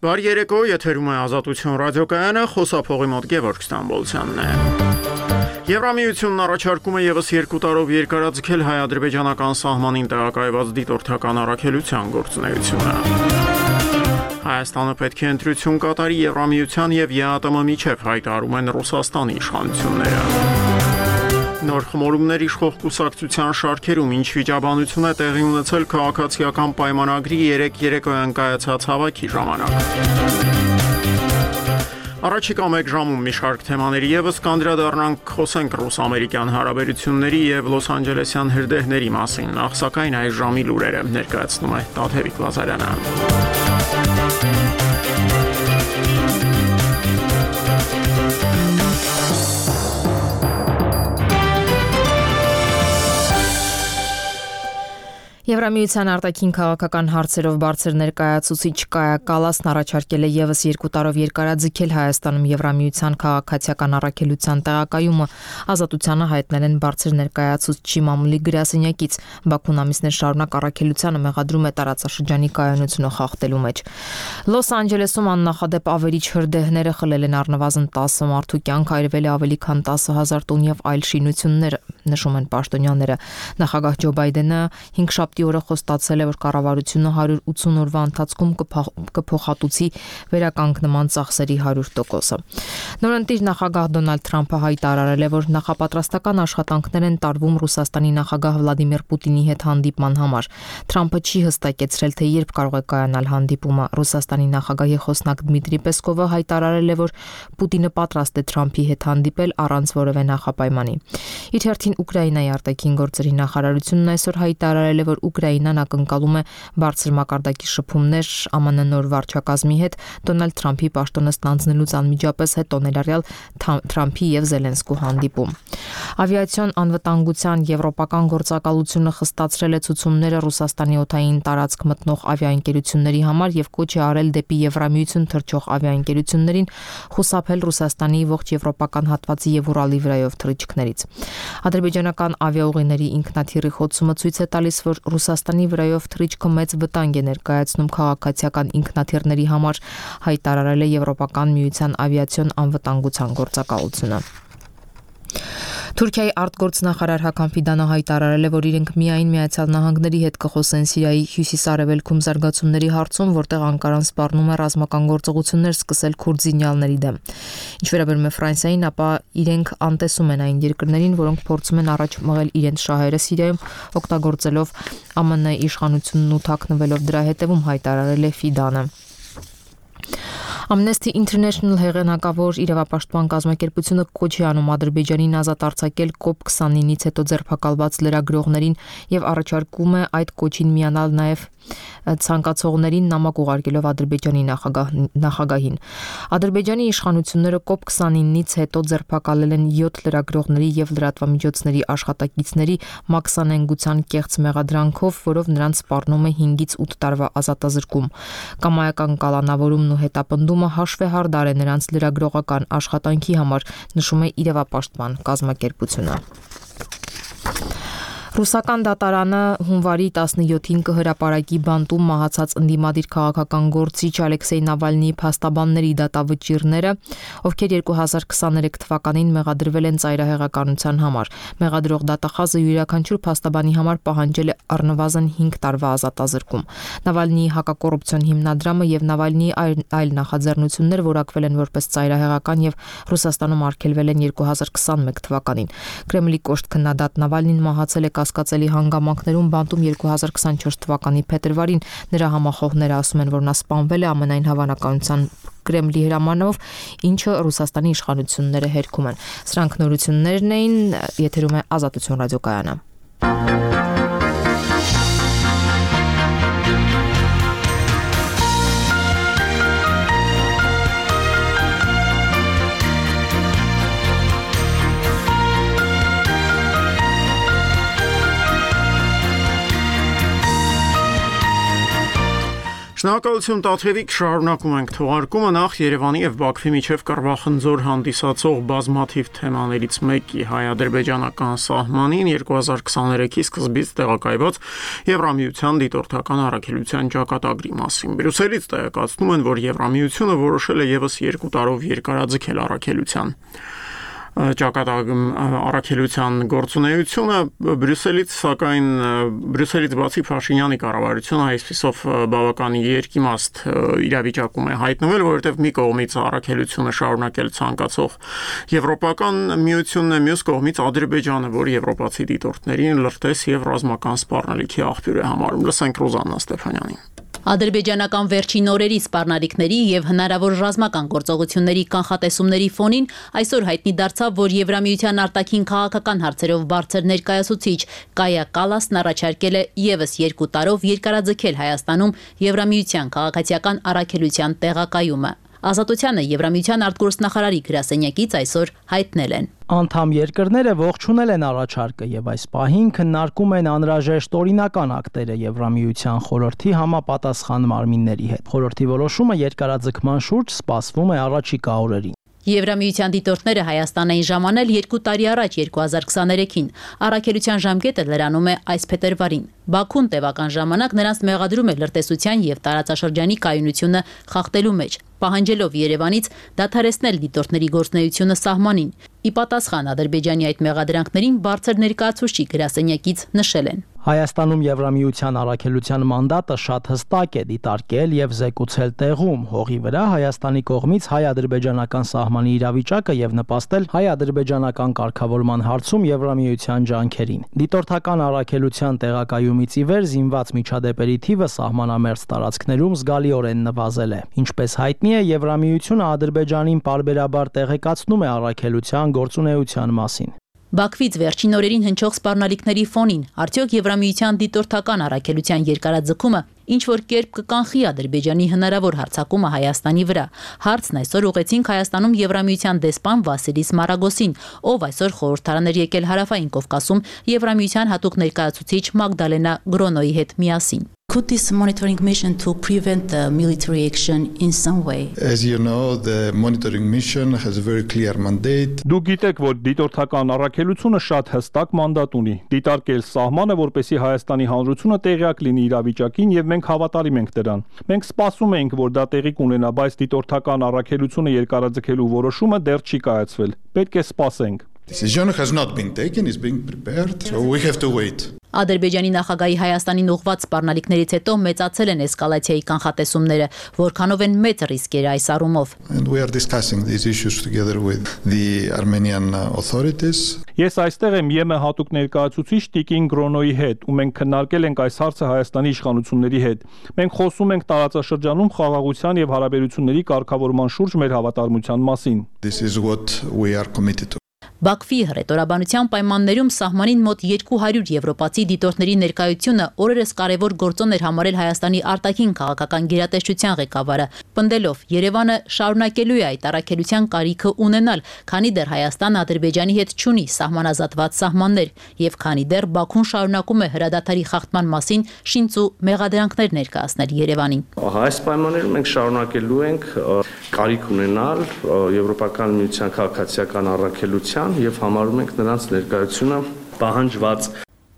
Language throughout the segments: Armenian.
Բարի երեկո, եթերում է Ազատություն ռադիոկայանը, խոսափողի մոտ Գևորգ Ստամբոլցյանն է։ Եվրամիությունն առաջարկում է ևս 2 տարով երկարաձգել հայ-ադրբեջանական սահմանին տեղակայված դիտորդական առաքելության գործունեությունը։ Հայաստանը պետք է ընտրություն կատարի Եվրամիության եւ ԵԱՏՄ միջև, հայտարարում են Ռուսաստանի իշխանությունները։ Նոր խմորումներ իշխող կուսակցության շարքերում ինչ վիճաբանություն է տեղի ունեցել քաղաքացիական պայմանագրի 3 երեկոյան կայացած հավաքի ժամանակ։ Առաջիկա 1 ժամում մի շարք թեմաների եւս կանդրադառնանք, խոսենք ռուս-ամերիկյան հարաբերությունների եւ Լոս Անջելեսյան հրդեհների մասին, նախ սակայն այս ժամի լուրերը ներկայացնում է Տաթևիկ Վազարյանը։ Եվրամիության արտաքին քաղաքական հարցերով բարձր ներկայացուցիչ Կայա Կալասն առաջարկել է ևս 2 տարով երկարաձգել Հայաստանում Եվրամիության քաղաքացիական առաքելության տեղակայումը։ Ազատությանը հայտնել են բարձր ներկայացուցչի մամուլի գրասենյակից։ Բաքուն ամիսներ շարունակ առաքելությանը մեղադրում է տարածաշրջանի կայունությունը խախտելու մեջ։ Լոս Անջելեսում աննախադեպ ավերիչ հրդեհները խլել են առնվազն 10 մարդու կյանք, այրվել է ավելի քան 10,000 տուն եւ այլ շինություններ, նշում են պաշտոնյաները։ Նախագահ Ջո Բայդենը 5 շաբթի օրը խոստացել է, որ կառավարությունը 180 օրվա ընթացքում կփոխհատուցի վերականգնման ծախսերի 100%-ը։ Նորընտիր նախագահ Դոնալդ Թրամփը հայտարարել է, որ նախապատրաստական աշխատանքներ են տարվում Ռուսաստանի նախագահ Վլադիմիր Պուտինի հետ հանդիպման համար։ Թրամփը չի հստակեցրել, թե երբ կարող է կայանալ հանդիպումը։ Ռուսաստանի նախագահի խոսնակ Դմիտրի Պեսկովը հայտարարել է, որ Պուտինը պատրաստ է Թրամփի հետ հանդիպել առանց որևէ նախապայմանի։ Իր հերթին Ուկրաինայի արտաքին գործերի նախարարությունն այսօր հայտարարել է, որ Ուկրաինան ակնկալում է բարձր մակարդակի շփումներ ԱՄՆ նոր վարչակազմի հետ Դոնալդ Թրամփի պաշտոնը ստանձնելուց անմիջապես հետո ներառյալ Թրամփի եւ Զելենսկու հանդիպում։ Ավիացիոն անվտանգության եվրոպական գործակալությունը խստացրել է ցուցումները Ռուսաստանի օդային տարածք մտնող ավիաընկերությունների համար եւ կոչ է արել դեպի Եվրամիություն թռչող ավիաընկերություններին խուսափել Ռուսաստանի ողջ եվրոպական հատվածի եւ Ուրալի վրայով թռիչքներից։ Ադրբեջանական ավիաուղիների ինքնաթիռի խոցումը ցույց է տալիս, որ Ռուսաստանի վրայով թռիչքը մեծ վտանգ է ներկայացնում քաղաքացիական ինքնաթիռների համար, հայտարարել է Եվրոպական միության ավիացիոն անվտանգության գործակալությունը։ Թուրքիայի արտգործնախարար Հական Ֆիդանը հայտարարել է, որ իրենք միայն Միացյալ Նահանգների հետ կխոսեն Սիրիայի հյուսիս-արևելքում զարգացումների հարցում, որտեղ Անկարան սպառնում է ռազմական գործողություններ սկսել քուրդ զինյալների դեմ։ Ինչ վերաբերում է Ֆրանսիային, ապա իրենք անտեսում են այն երկրներին, որոնք փորձում են առաջ մղել իրենց շահերը Սիրիայում, օգտագործելով ԱՄՆ իշխանությունն ու թաքնվելով դրա հետևում, հայտարարել է Ֆիդանը։ Amnesty International հեղինակավոր իրավապաշտպան կազմակերպությունը կոչ է անում Ադրբեջանին ազատ արձակել COP29-ից հետո ձերբակալված լրագրողներին եւ առաջարկում է այդ կոչին միանալ նաեւ ցանկացողներին նամակ ուղարկելով Ադրբեջանի նախագահին։ Ադրբեջանի իշխանությունները COP29-ից հետո ձերբակալել են 7 լրագրողների եւ լրատվամիջոցների աշխատակիցների մաքսանենգության կեղծ մեղադրանքով, որով նրանց սպառնում է 5-ից 8 տարվա ազատազրկում։ Կամայական կալանավորումն ու հետապնդումը հաշվեհարդար է նրանց լրագրողական աշխատանքի համար, նշում է իրավապաշտպան կազմակերպությունը։ Ռուսական դատարանը հունվարի 17-ին կհրապարակի բանտում մահացած ընդդիմադիր քաղաքական գործիչ Ալեքսեյ Նավալնիի փաստաբանների դատավճիռները, ովքեր 2023 թվականին մեղադրվել են ծայրահեղականության համար։ Մեղադրող դատախազը յուրաքանչյուր փաստաբանի համար պահանջել է առնվազն 5 տարվա ազատազրկում։ Նավալնիի հակակոռուպցիոն հիմնադրամը եւ Նավալնիի այլ նախաձեռնություններ որակվել են որպես ծայրահեղական եւ Ռուսաստանում արգելվել են 2021 թվականին։ Կրեմլի կոշտ քննադատ Նավալնին մահացել է կասկածելի հանգամանքներում բանտում 2024 թվականի փետրվարին։ Նրա համախոհները ասում են, որ նա սպանվել է ամենայն հավանականության Կրեմլի հրամանով, ինչը Ռուսաստանի իշխանությունները հերքում են։ Սրանք նորություններն էին, եթերում է Ազատություն ռադիոկայանը։ Շնորհակալություն Տաթևիկ, շարունակում ենք թողարկումը նախ Երևանի եւ Բաքվի միջև կռվախնձոր հանդիսացող բազմաթիվ թեմաներից մեկի հայ-ադրբեջանական սահմանին 2023-ի սկզբից տեղակայված Եվրամիության դիտորդական առաքելության ճակատագրի մասին։ Բրյուսելից տեղեկացնում են, որ Եվրամիությունը որոշել է եւս 2 տարով երկարաձգել առաքելության առաքելության գործունեությունը Բրյուսելից բացի Փաշինյանի կառավարությունը այսպիսով բավական երկիմաստ իրավիճակում է հայտնվել, որովհետև մի կողմից առաքելությունը շարունակել ցանկացող Եվրոպական միությունն է, մյուս կողմից Ադրբեջանը, որ եվրոպացի դիտորդներին լրտես եւ ռազմական սպառնալիքի աղբյուր է համարում։ Լսենք Ռոզաննա Ստեփանյանին։ Ադրբեջանական վերջին օրերի սպառնալիքների եւ հնարավոր ռազմական գործողությունների կանխատեսումների ֆոնին այսօր հայտնի դարձավ, որ Եվրամիության արտաքին քաղաքական հարցերով բարձր ներկայացուցիչ Կայա Կալասն առաջարկել է եւս 2 տարով երկարաձգել Հայաստանում Եվրամիության քաղաքացիական առաքելության տեղակայումը։ Ազատությանը Եվրամիության արտգործնախարարի գրասենյակից այսօր հայտնել են. Անդամ երկրները ողջունել են առաջարկը եւ այս պահին քննարկում են անհրաժեշտ օրինական ակտերը Եվրամիության խորհրդի համապատասխան մարմինների հետ։ Խորհրդի որոշումը երկարաձգման շուրջ սպասվում է առաջիկա օրերին։ Եվրամիության դիտորդները Հայաստան էին ժամանել 2 տարի առաջ 2023-ին։ Առաքելության ժամկետը լրանում է այս փետրվարին։ Բաքուն տևական ժամանակ նրանց մեղադրում է լրտեսության եւ տարածաշրջանի կայունությունը խախտելու մեջ, պահանջելով Երևանից դադարեցնել դիտորդների գործունեությունը սահմանին։ Ի պատասխան Ադրբեջանի այդ մեղադրանքներին բարձր ներկայացուցիչ գրասենյակից նշել են. Հայաստանում Եվրամիության առաքելության մանդատը շատ հստակ է դիտարկել եւ զեկուցել տեղում հողի վրա Հայաստանի կողմից հայ-ադրբեջանական սահմանի իրավիճակը եւ նպաստել հայ-ադրբեջանական կարգավորման հարցում Եվրամիության ջանքերին։ Դիտորդական առաքելության տեղակայումից ի վեր զինված միջադեպերի թիվը սահմանամերձ տարածքներում զգալիորեն նվազել է։ Ինչպես հայտնի է, Եվրամիությունը Ադրբեջանին պարբերաբար տեղեկացնում է առաքելության գործունեության մասին։ Բաքվից վերջին օրերին հնչող սպառնալիքների ֆոնին արդյոք Եվրամիության դիտորդական առաքելության երկարաձգումը ինչ որ կերպ կկանխի Ադրբեջանի հնարավոր հարձակումը Հայաստանի վրա։ Հարցն այսօր ուղեցինք Հայաստանում Եվրամիության դեսպան Վասիլիս Մարագոսին, ով այսօր խորհրդարան էր եկել Հարավային Կովկասում Եվրամիության հատուկ ներկայացուցիչ Մագդալենա Գրոնոյի հետ միասին։ Could this monitoring mission to prevent the military action in some way? As you know, the monitoring mission has a very clear mandate. Դուք գիտեք, որ դիտորդական առաքելությունը շատ հստակ մանդատ ունի՝ դիտարկել սահմանը, որպեսզի Հայաստանի հանրությունը տեղյակ լինի իրավիճակին, եւ մենք հավատարիմ ենք դրան։ Մենք սպասում ենք, որ դա տեղի կունենա, բայց դիտորդական առաքելությունը երկարաձգելու որոշումը դեռ չի կայացվել։ Պետք է սպասենք։ Decision has not been taken, is being prepared, so we have to wait. Ադրբեջանի նախագահի Հայաստանին ուղղված սպառնալիքներից հետո մեծացել են էսկալացիայի կանխատեսումները, որքանով են մեծ ռիսկերը այս առումով։ And we are discussing these issues together with the Armenian authorities. Ես այստեղ եմ ԵՄ հատուկ ներկայացուցիչ Տիկին Գրոնոյի հետ, ու մենք քննարկել ենք այս հարցը Հայաստանի իշխանությունների հետ։ Մենք խոսում ենք տարածաշրջանում խաղաղության եւ հարաբերությունների կարգավորման շուրջ մեր հավատարմության մասին։ This is what we are committed to. Բաքվի հռետորաբանության պայմաններում սահմանին մոտ 200 եվրոպացի դիտորդների ներկայությունը օրերս կարևոր գործոն էր համարել Հայաստանի արտաքին քաղաքական գերատեսչության ղեկավարը, պնդելով Երևանը շարունակելու է այդ առաքելության կարիքը ունենալ, քանի դեռ Հայաստանը Ադրբեջանի հետ չունի սահմանազատված սահմաններ, եւ քանի դեռ Բաքուն շարունակում է հրադադարի խախտման մասին շինծ ու մեղադրանքներ ներկայացնել Երևանին։ Այս պայմաններում մենք շարունակելու ենք կարիք ունենալ Եվրոպական միության քաղաքացիական առաքելության եւ համարում ենք նրանց ներկայությունը պահանջված։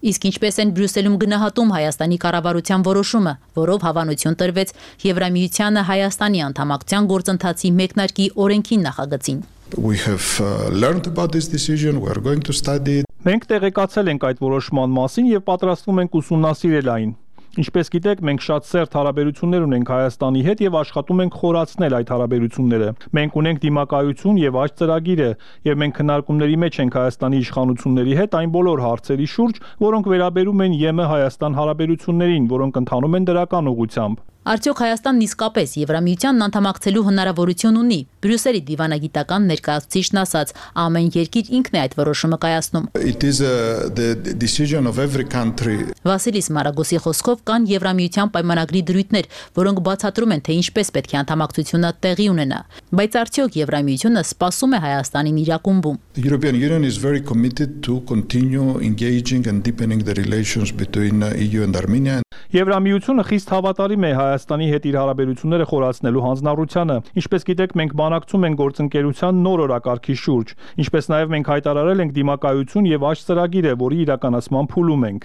Իսկ ինչպես են Բրյուսելում գնահատում Հայաստանի կառավարության որոշումը, որով հավանություն տրվեց Եվրամիությանը Հայաստանի անդամակցության գործընթացի մեկնարկի օրենքին նախագծին։ We have learned about this decision, we are going to study it. Մենք տեղեկացել ենք այդ որոշման մասին եւ պատրաստվում ենք ուսումնասիրել այն։ Ինչպես գիտեք, մենք շատ սերտ հարաբերություններ ունենք Հայաստանի հետ եւ աշխատում ենք խորացնել այդ հարաբերությունները։ Մենք ունենք դիմակայություն եւ աճ ծրագիրը, եւ մենք քննարկումների մեջ ենք Հայաստանի իշխանությունների հետ այն բոլոր հարցերի շուրջ, որոնք վերաբերում են ԵՄ Հայաստան հարաբերություններին, որոնք ընթանում են դրական ուղղությամբ։ Արդյոք Հայաստանն իսկապես Եվրամիությանն անդամակցելու հնարավորություն ունի։ Բրյուսելի դիվանագիտական ներկայացուցիչն ասաց, ամեն երկիր ինքն է այդ որոշումը կայացնում։ It is the decision of every country. Վասիլիս Մարագոսի խոսքով կան Եվրամիության պայմանագրի դրույթներ, որոնք բացատրում են, թե ինչպես պետք է անդամակցությունը տեղի ունենա։ Բայց արդյոք Եվրամիությունը սպասում է Հայաստանին իր ակումբում։ The European Union is very committed to continue engaging and deepening the relations between EU and Armenia. Եվրամիությունը խիստ հավատարիմ է Հայաստանի հետ իր հարաբերությունները խորացնելու հանձնառությանը։ Ինչպես գիտեք, մենք բանակցում ենք գործընկերության նոր օրակարգի շուրջ, ինչպես նաև մենք հայտարարել ենք դիմակայություն եւ աճ ծրագիր է, որի իրականացման փուլում ենք։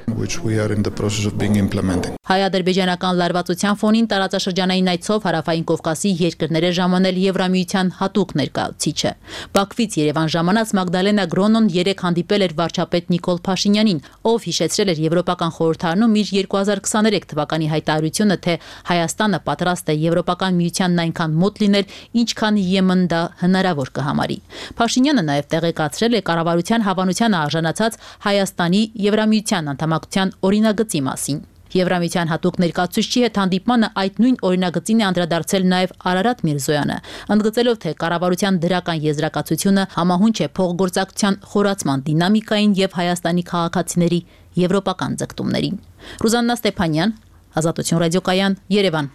Հայ-ադրբեջանական լարվածության ֆոնին տարածաշրջանային այցով Հարավային Կովկասի երկրները ժամանել Եվրամիության հատուկ ներկայացուցիչը։ Բաքվից Երևան ժամանած Մագդալենա Գրոնոն երեկ հանդիպել էր վարչապետ Նիկոլ Փաշինյանին, ով հիշեցրել էր Եվրոպական խորհրդարանում իր 2023 թվականի հայտարարությունը, թե Հայաստանը պատրաստ է Եվրոպական միությանն այնքան մոտ լինել, ինչքան Եմեն դա հնարավոր կհամարի։ Փաշինյանը նաև տեղեկացրել է կառավարության հավանությանը արժանացած Հայաստանի Եվրամիության անդամակցության օրինագծի մասին։ Եվրամիության հատուկ ներկայացուցիչի հետ հանդիպմանը այդ նույն օրինագծին է անդրադարձել նաև Արարատ Միրզոյանը, ընդգծելով, թե կառավարության դրական եզրակացությունը համահունչ է փոխգործակցության խորացման դինամիկային եւ Հայաստանի քաղաքացիների եվրոպական ձգտումներին։ Ռուզաննա Ստեփանյան, Ազատություն ռադիոկայան, Երևան։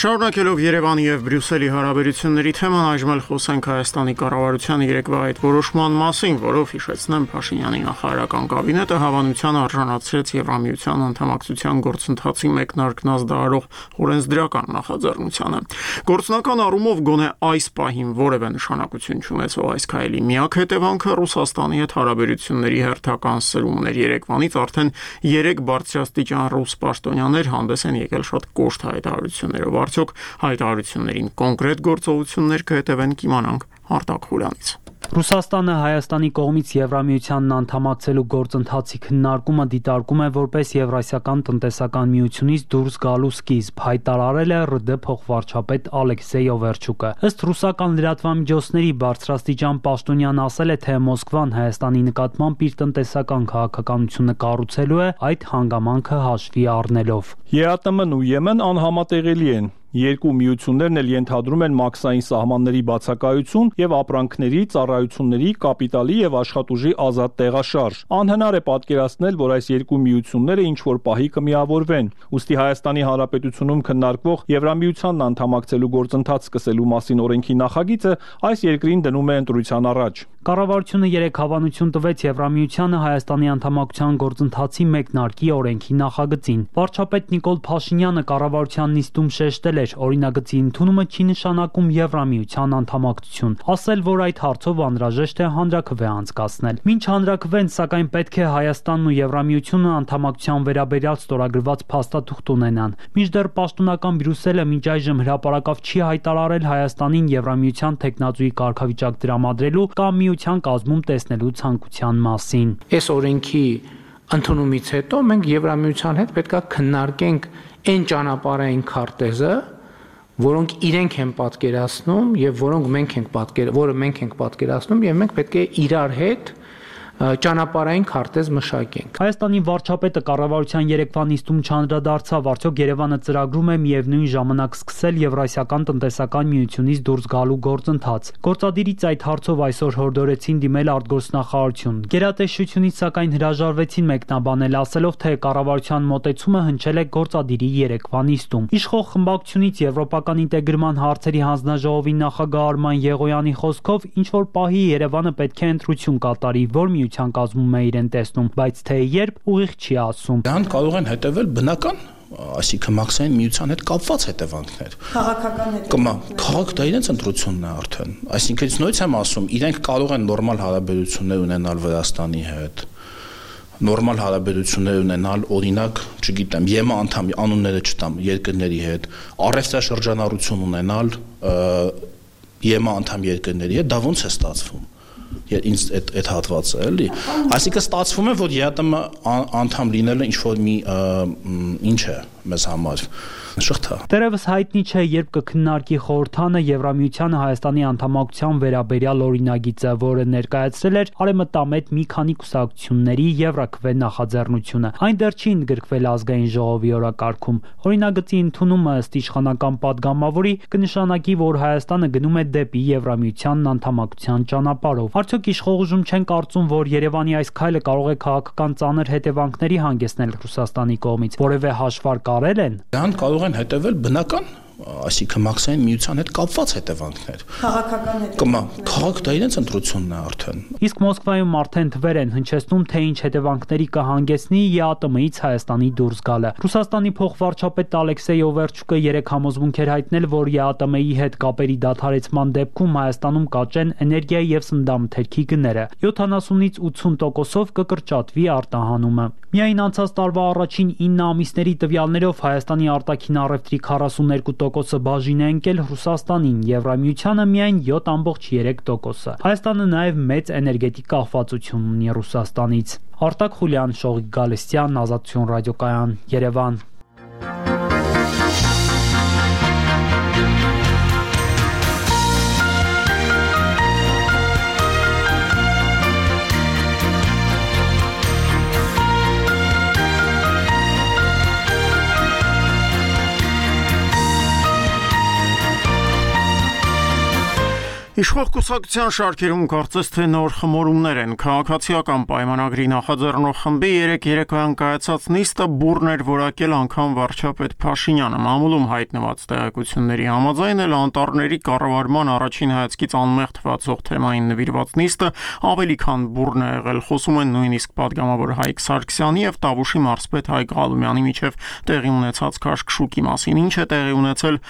Շարունակելով Երևանի եւ Բրյուսելի հարաբերությունների թեման, այժմ էլ խոսենք Հայաստանի կառավարության երեկվա այդ որոշման մասին, որով հիշեցնեմ Փաշինյանի նախարարական կաբինետը հավանության արժանացրեց Եվրամիության անդամակցության գործընթացի մեկնարկն ազդարարող օրենսդրական նախաձեռնությանը։ Գործնական առումով գոնե այս պահին որևէ նշանակություն չունեցող այս քայլի միակ հետևանքը Ռուսաստանի հետ հարաբերությունների հերթական սրումն էր։ Երեկվանից արդեն 3 բարձրաստիճան ռուս պաշտոնյաներ հանդես են եկել շատ կոշտ հայտարարություններով։ Արդյոք հայտարարություններին կոնկրետ գործողություններ կհետևեն, կիմանանք Արտակ Խուլյանից։ Ռուսաստանը Հայաստանի կողմից Եվրամիությանն անդամակցելու գործընթացի քննարկումը դիտարկում է որպես Եվրասիական տնտեսական միությունից դուրս գալու սկիզբ, հայտարարել է ՌԴ փոխվարչապետ Ալեքսեյ Օվերչուկը։ Ըստ ռուսական լրատվամիջոցների բարձրաստիճան պաշտոնյան ասել է, թե Մոսկվան Հայաստանի նկատմամբ իր տնտեսական քաղաքականությունը կառուցելու է, այդ հանգամանքը հաշվի առնելով։ ԵԱՏՄ-ն ու ԵՄ-ն անհամատեղելի են։ Երկու միություններն էլ ենթադրում են մաքսային սահմանների բացակայություն եւ ապրանքների, ծառայությունների, կապիտալի եւ աշխատուժի ազատ տեղաշարժ։ Անհնար է պատկերացնել, որ այս երկու միությունները ինչ-որ պահի կմիավորվեն։ Ուստի Հայաստանի Հանրապետությունում քննարկվող Եվրամիությանն անդամակցելու գործընթաց սկսելու մասին օրենքի նախագիծը այս երկրին դնում է ընտրության առաջ։ Կառավարությունը երեկ հավանություն տվեց Եվրամիությանը Հայաստանի անդամակցության գործընթացի մեկնարկի օրենքի նախագծին։ Վարչապետ Նիկոլ Փաշինյանը կառավարության նիստում շեշտել էր, օրինագծի ընդունումը չի նշանակում Եվրամիության անդամակցություն, ասել, որ այդ հարցով անհրաժեշտ է հանրաքվե անցկացնել։ Մինչ հանրաքվեն, սակայն պետք է Հայաստանն ու Եվրամիությունը անդամակցության վերաբերյալ ստորագրված փաստաթուղթ ունենան։ Մինչդեռ պաշտոնական Բրյուսելը մինչ այժմ հրապարակավ չի հայտարարել Հայաստանին Եվրամիության տեխնատուի կարգավիճակ տրամադրելու կամ միության կազմում տեսնելու ցանկության մասին։ Այս օրենքի ընդունումից հետո մենք Եվրամիության հետ պետք է քննարկենք այն ճանապարհային քարտեզը, որոնք իրենք են պատկերացնում եւ որը մենք ենք պատկերացնում եւ մենք պետք է իրար հետ ճանապարհային քարտեզ մշակենք։ Հայաստանի վարչապետը կառավարության երեկվա նիստում չանդրադարձավ, արդյոք Երևանը ծրագրում է միևնույն ժամանակ սկսել Եվրասիական տնտեսական միությունից դուրս գալու գործընթաց։ Գործադիրից այդ հարցով այսօր հորդորեցին դիմել արտգործնախարարություն։ Գերատեսչությունից սակայն հրաժարվեցին մեկնաբանել, ասելով, թե կառավարության մոտեցումը հնչել է գործադիրի երեկվա նիստում։ Իշխող խմբակցությունից Եվրոպական ինտեգրման հարցերի հանձնաժողովի նախագահ Արման Եղոյանի խոսքով ինչ որ պահի Երևանը պետք է ընտրություն կատարի, որ միության կազմում է իրեն տեսնում, բայց թե երբ ուղիղ չի ասում։ Դրան կարող են հետևել բնական, այսինքն մաքսային միության հետ կապված հետևանքներ։ Քաղաքական հետևանքներ։ Քաղաք դա իրենց ընտրությունն է արդեն։ Այսինքն նույնիսկ եմ ասում, իրենք կարող են նորմալ հարաբերություններ ունենալ Վրաստանի հետ, նորմալ հարաբերություններ ունենալ, օրինակ, չգիտեմ, ԵՄ անդամ անունները չտամ երկրների հետ, առևտրաշրջանառություն ունենալ ԵՄ անդամ երկրների հետ, դա ոնց է ստացվում։ Ինձ այդ հատվածը էլի, այսինքն ստացվում է, որ ԵԱՏՄ անդամ լինելը ինչ-որ մի ինչ է մեզ համար շղթա։ Դեռևս հայտնի չէ, երբ կքննարկի խորհրդանը Եվրամիությանը Հայաստանի անդամակցության վերաբերյալ օրինագիծը, որը ներկայացրել էր արևմտամետ մի քանի կուսակցությունների Եվրաքվե նախաձեռնությունը։ Այն դեռ չի ընդգրկվել ազգային ժողովի օրակարգում։ Օրինագծի ընդունումը ըստ իշխանական падգամավորի կնշանակի, որ Հայաստանը գնում է դեպի Եվրամիությանն անդամակցության ճանապարհով։ Արդյոք Օրինակ իշխող ուժում չեն կարծում, որ Երևանի այս քայլը կարող է քաղաքական ծանր հետևանքների հանգեցնել Ռուսաստանի կողմից, որևէ հաշվարկ արել են։ Դրան կարող են հետևել բնական, այսինքն մաքսային միության հետ կապված հետևանքներ։ Քաղաքական հետևանքներ։ Քաղաք դա իրենց ընտրությունն է արդեն։ Իսկ Մոսկվայում արդեն թվեր են հնչեցնում, թե ինչ հետևանքների կհանգեցնի ԵԱՏՄ-ից Հայաստանի դուրս գալը։ Ռուսաստանի փոխվարչապետ Ալեքսեյ Օվերչուկը երեք համոզմունք էր հայտնել, որ ԵԱՏՄ-ի հետ կապերի դադարեցման դեպքում Հայաստանում կաճեն էներգիայի եւ սննդամթերքի գները։ 70-ից 80%-ով կկրճատվի արտահանումը։ Միայն անցած տարվա առաջին 9 ամիսների տվյալներով Հայաստանի արտաքին առևտրի 42%-ը բաժին է ընկել Ռուսաստանին, Եվրամիությանը միայն 7.3%-ը։ Հայաստանը նաև մեծ էներգետիկ կախվածություն ունի Ռուսաստանից։ Արտակ Խուլյան, Շողիկ Գալստյան, Ազատություն ռադիոկայան, Երևան։ Իշխող կուսակցության շարքերում կարծես թե նոր խմորումներ են։ Քաղաքացիական պայմանագրի նախաձեռնող խմբի երեկոյան կայացած նիստը բուռն էր որակել անգամ վարչապետ Փաշինյանը։ Մամուլում հայտնված տեղեկությունների համաձայն էլ անտառների կառավարման առաջին հայացքից անմեղ թվացող թեմային նվիրված նիստը ավելի քան բուռն է եղել։ Խոսում են նույնիսկ պատգամավոր Հայկ Սարգսյանի եւ Տավուշի մարզպետ Հայկ Ղալումյանի միջև տեղի ունեցած քաշքշուկի մասին։ Ինչ է տեղի ունեցել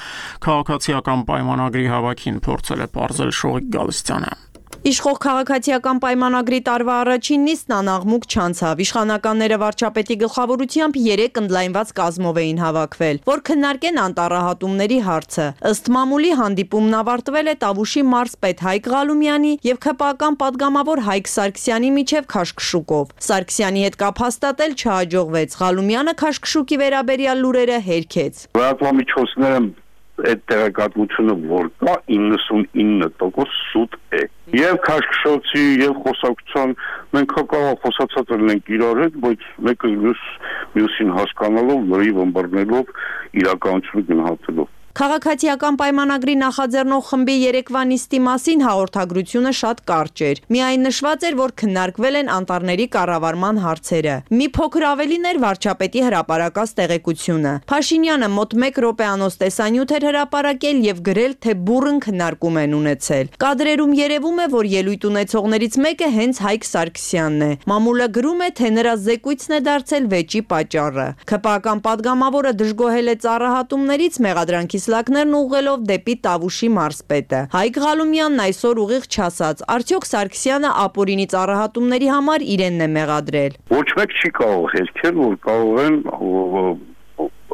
քաղաքացիական պայմանագրի հավաքին, փորձել է պարզել Շողիկ Գալստյանը։ Իշխող քաղաքացիական պայմանագրի տարվա առաջին նիստն անաղմուկ չանցավ։ Իշխանականները վարչապետի գլխավորությամբ 3 ընդլայնված կազմով էին հավաքվել, որ քննարկեն անտառահատումների հարցը։ Ըստ մամուլի հանդիպումն ավարտվել է Տավուշի մարզպետ Հայկ Ղալումյանի եւ ՔՊԱ-կան պատգամավոր Հայկ Սարգսյանի միջև քաշքշուկով։ Սարգսյանի հետ կապ հաստատել չհաջողվեց։ Ղալումյանը քաշքշուկի վերաբերյալ լուրերը հերքեց։ Լրատվամիջոցները այդ տեղեկատվությունը որ կա 99% սուտ է։ Եվ քաշքշոցի եւ խոսակցության մենք հակառակ խոսացած ենք իրար հետ, բայց մեկը մյուսին հասկանալով, լրիվ ըմբռնելով, իրականությունը գնահատելով։ Քաղաքացիական պայմանագրի նախաձեռնող խմբի երեկվա նիստի մասին հաղորդագրությունը շատ կարճ էր։ Միայն նշված էր, որ քննարկվել են անտառների կառավարման հարցերը։ Մի փոքր ավելին էր վարչապետի հրապարակած տեղեկությունը։ Փաշինյանը մոտ 1 րոպեանոց տեսանյութ էր հրապարակել եւ գրել, թե բուռն քննարկում են ունեցել։ Կադրերում երևում է, որ ելույթ ունեցողներից մեկը հենց Հայկ Սարգսյանն է։ Մամուլը գրում է, թե նրա զեկույցն է դարձել վեճի պատճառը։ ՔՊԱ-կան պատգամավորը դժգոհել է ծառահատումներից մեղադրանքի Սլակներն ուղղելով դեպի Տավուշի մարզպետը։ Հայկ Ղալումյանն այսօր ուղիղ չասաց, արդյոք Սարգսյանը ապօրինի ծառահատումների համար իրենն է մեղադրել։ Ոչ մեկ չի կարող հերքել, որ կարող են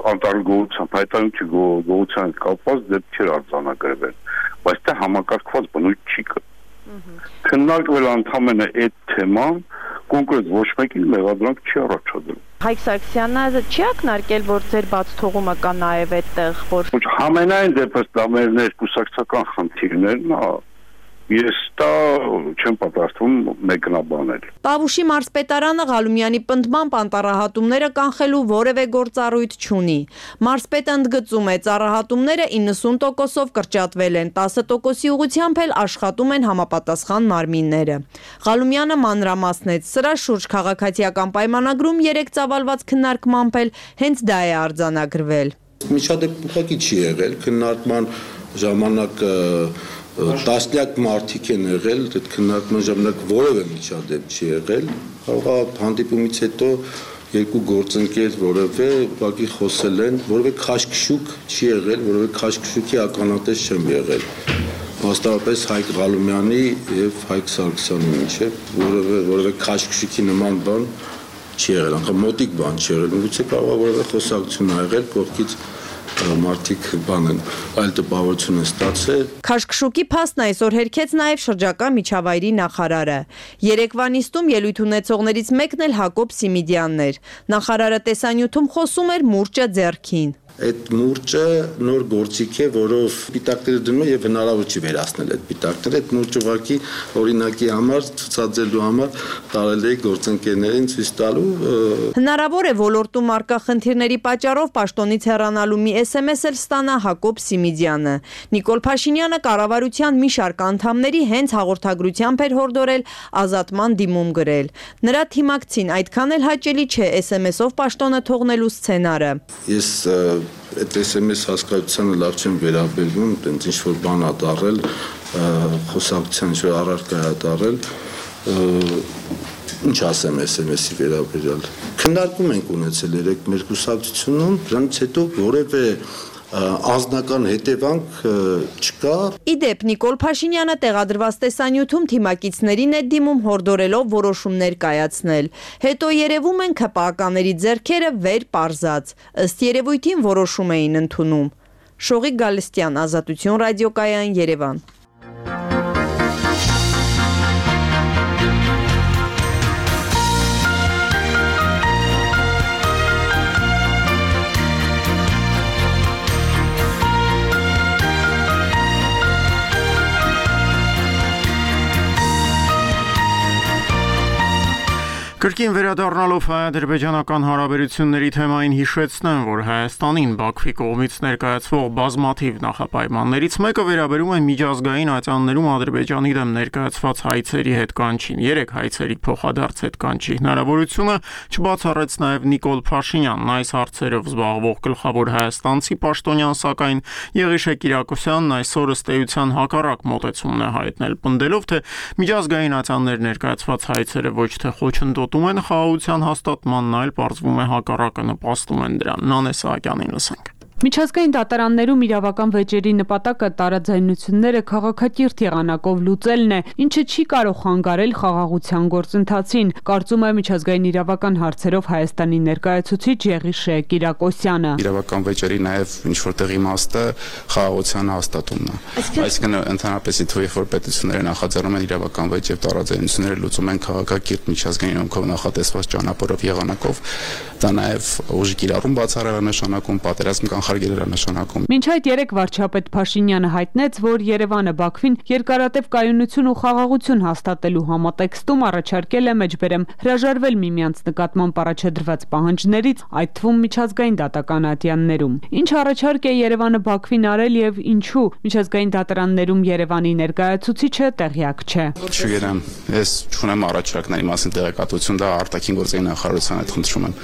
անտառգոհության, հայտարարության գոհության կապված դեպքեր արձանագրվել, բայց դա համակարգված բնույթ չի կա։ Քննարկվել ընդհանրապես այդ թեման, կոնկրետ ոչ մեկին մեղադրանք չի առաջադրել։ Հայկ Սարգսյանը չի ակնարկել, որ ձեր բաց թողումը կա նաև այդտեղ, որ Համենայն դեպս դա մեր ներկուսակցական խնդիրներն է։ Ես դա չեմ պատրաստվում մեկնաբանել։ Տավուշի մարզպետարանը Ղալումյանի պնդմամբ անտառահատումները կանխելու որևէ գործառույթ չունի։ Մարզպետը ընդգծում է, ծառահատումները 90%-ով կրճատվել են, 10%-ի ուղղությամբ էլ աշխատում են համապատասխան մարմինները։ Ղալումյանը մանրամասնեց, սրա շուրջ քաղաքացիական պայմանագրում 3 ծավալված քննարկմամբ էլ հենց դա է արձանագրվել։ Միջադեպ ուղղակի չի եղել, քննարկման ժամանակ տասնյակ մարդիկ են եղել, այդ քննարկման ժամանակ որևէ միջադեպ չի եղել, կարող է հանդիպումից հետո երկու գործընկեր որևէ ուղղակի խոսել են, որևէ քաշքշուկ չի եղել, որևէ քաշքշուկի ականատես չեմ եղել։ Մասնավորապես Հայկ Ղալումյանի եւ Հայկ Սարգսյանի միջեւ որևէ քաշքշուկի նման բան չի եղել, անգամ մոտիկ բան չի եղել, միգուցե կարող է որևէ խոսակցություն ա եղել կողքից մարդիկ բանեն այլ տպավորություն են ստացել։ Քաշքշուկի փաստն այսօր հերքեց նաև շրջակա միջավայրի նախարարը։ Երեկվա նիստում ելույթ ունեցողներից մեկն էլ Հակոբ Սիմիդյանն էր։ Նախարարը տեսանյութում խոսում էր մուրճը ձեռքին։ այդ մուրճը նոր գործիք է, որով պիտակները դնում են եւ հնարավոր չի վերացնել այդ պիտակները, այդ մուրճը ուղղակի օրինակի համար ցուցադրելու համար տարել է գործընկերներին ցույց տալու։ Հնարավոր է ոլորտում արկա խնդիրների պատճառով պաշտոնից հեռանալու մի SMS էլ ստանա Հակոբ Սիմիդյանը։ Նիկոլ Փաշինյանը կառավարության մի շարք անդամների հենց հաղորդագրությամբ էր հորդորել ազատման դիմում գրել։ Նրա թիմակցին այդքան էլ հաճելի չէ SMS-ով պաշտոնը թողնելու սցենարը։ Ես այդ SMS հասկացությանը լավ չեմ վերաբերվում, տենց ինչ որ բան ա դարել, խոսակցության ինչ որ առարկա ա դարել, ինչ ասեմ SMS-ի վերաբերյալ։ Քննարկում ենք ունեցել երեք մեր կուսակցությունում, դրանից հետո որևէ անձնական հետևանք չկա։ Իդեպ Նիկոլ Փաշինյանը տեղադրված տեսանյութում թիմակիցներին է դիմում հորդորելով որոշումներ կայացնել։ Հետո երևում են ՔՊԱ-ականների ձեռքերը վեր պարզած, ըստ երևույթին որոշում էին ընդունում։ Շողիկ Գալստյան, Ազատություն ռադիոկայան, Երևան։ Կրկին վերադառնալով հայ-ադրբեջանական հարաբերությունների թեմային հիշեցնեմ, որ Հայաստանին Բաքվի կողմից ներկայացվող բազմաթիվ նախապայմաններից մեկը վերաբերում է միջազգային ատյաններում Ադրբեջանի դեմ ներկայացված հայցերի հետ կանչին, 3 հայցերի փոխադարձ հետ կանչի հնարավորությունը չբացառեց նաև Նիկոլ Փաշինյանն, այս հարցերով զբաղվող գլխավոր հայաստանցի պաշտոնյան, սակայն Եղիշե Կիրակոսյանն այսօր ըստ էության հակառակ մոտեցումն է հայտնել, պնդելով, թե միջազգային ատյաններ ներկայացված հայցերը ոչ թե խոչընդոտ են խաղաղության հաստատմանն, այլ պարզվում է հակառակը նպաստում են դրան։ Նանե Սահակյանին լսենք։ Միջազգային դատարաններում իրավական վեճերի նպատակը տարաձայնությունները քաղաքակիրթ եղանակով լուծելն է, ինչը չի կարող խանգարել խաղաղության գործընթացին, կարծում է միջազգային իրավական հարցերով Հայաստանի ներկայացուցիչ Եղիշե Կիրակոսյանը։ Իրավական վեճերի նաև ինչ որտեղ իմաստը խաղաղության հաստատումն է։ Այսինքն ընդհանրապես թույլ որ պետությունները նախաձեռնում են իրավական վեճ եւ տարաձայնությունները լուծում են քաղաքակիրթ միջազգային օրենքով նախատեսված ճանապարհով եղանակով, դա նաև ուժի կիրառում բացառել նշանակում պատերազմ նշանակում։ Մինչ այդ երեք վարչապետ Փաշինյանը հայտնեց, որ Երևանը Բաքվին երկարատև կայունություն ու խաղաղություն հաստատելու համատեքստում առաջարկել է մեջբերեմ հրաժարվել միմյանց նկատմամբ առաջադրված պահանջներից, այդ թվում միջազգային դատական ատյաններում։ Ինչ առաջարկ է Երևանը Բաքվին արել եւ ինչու միջազգային դատարաններում Երևանի ներկայացուցիչը տեղյակ չէ։ Չգիտեմ, ես չունեմ առաջարկների մասին տեղեկատվություն, դա արտաքին գործերի նախարարության հետ խնդրում եմ։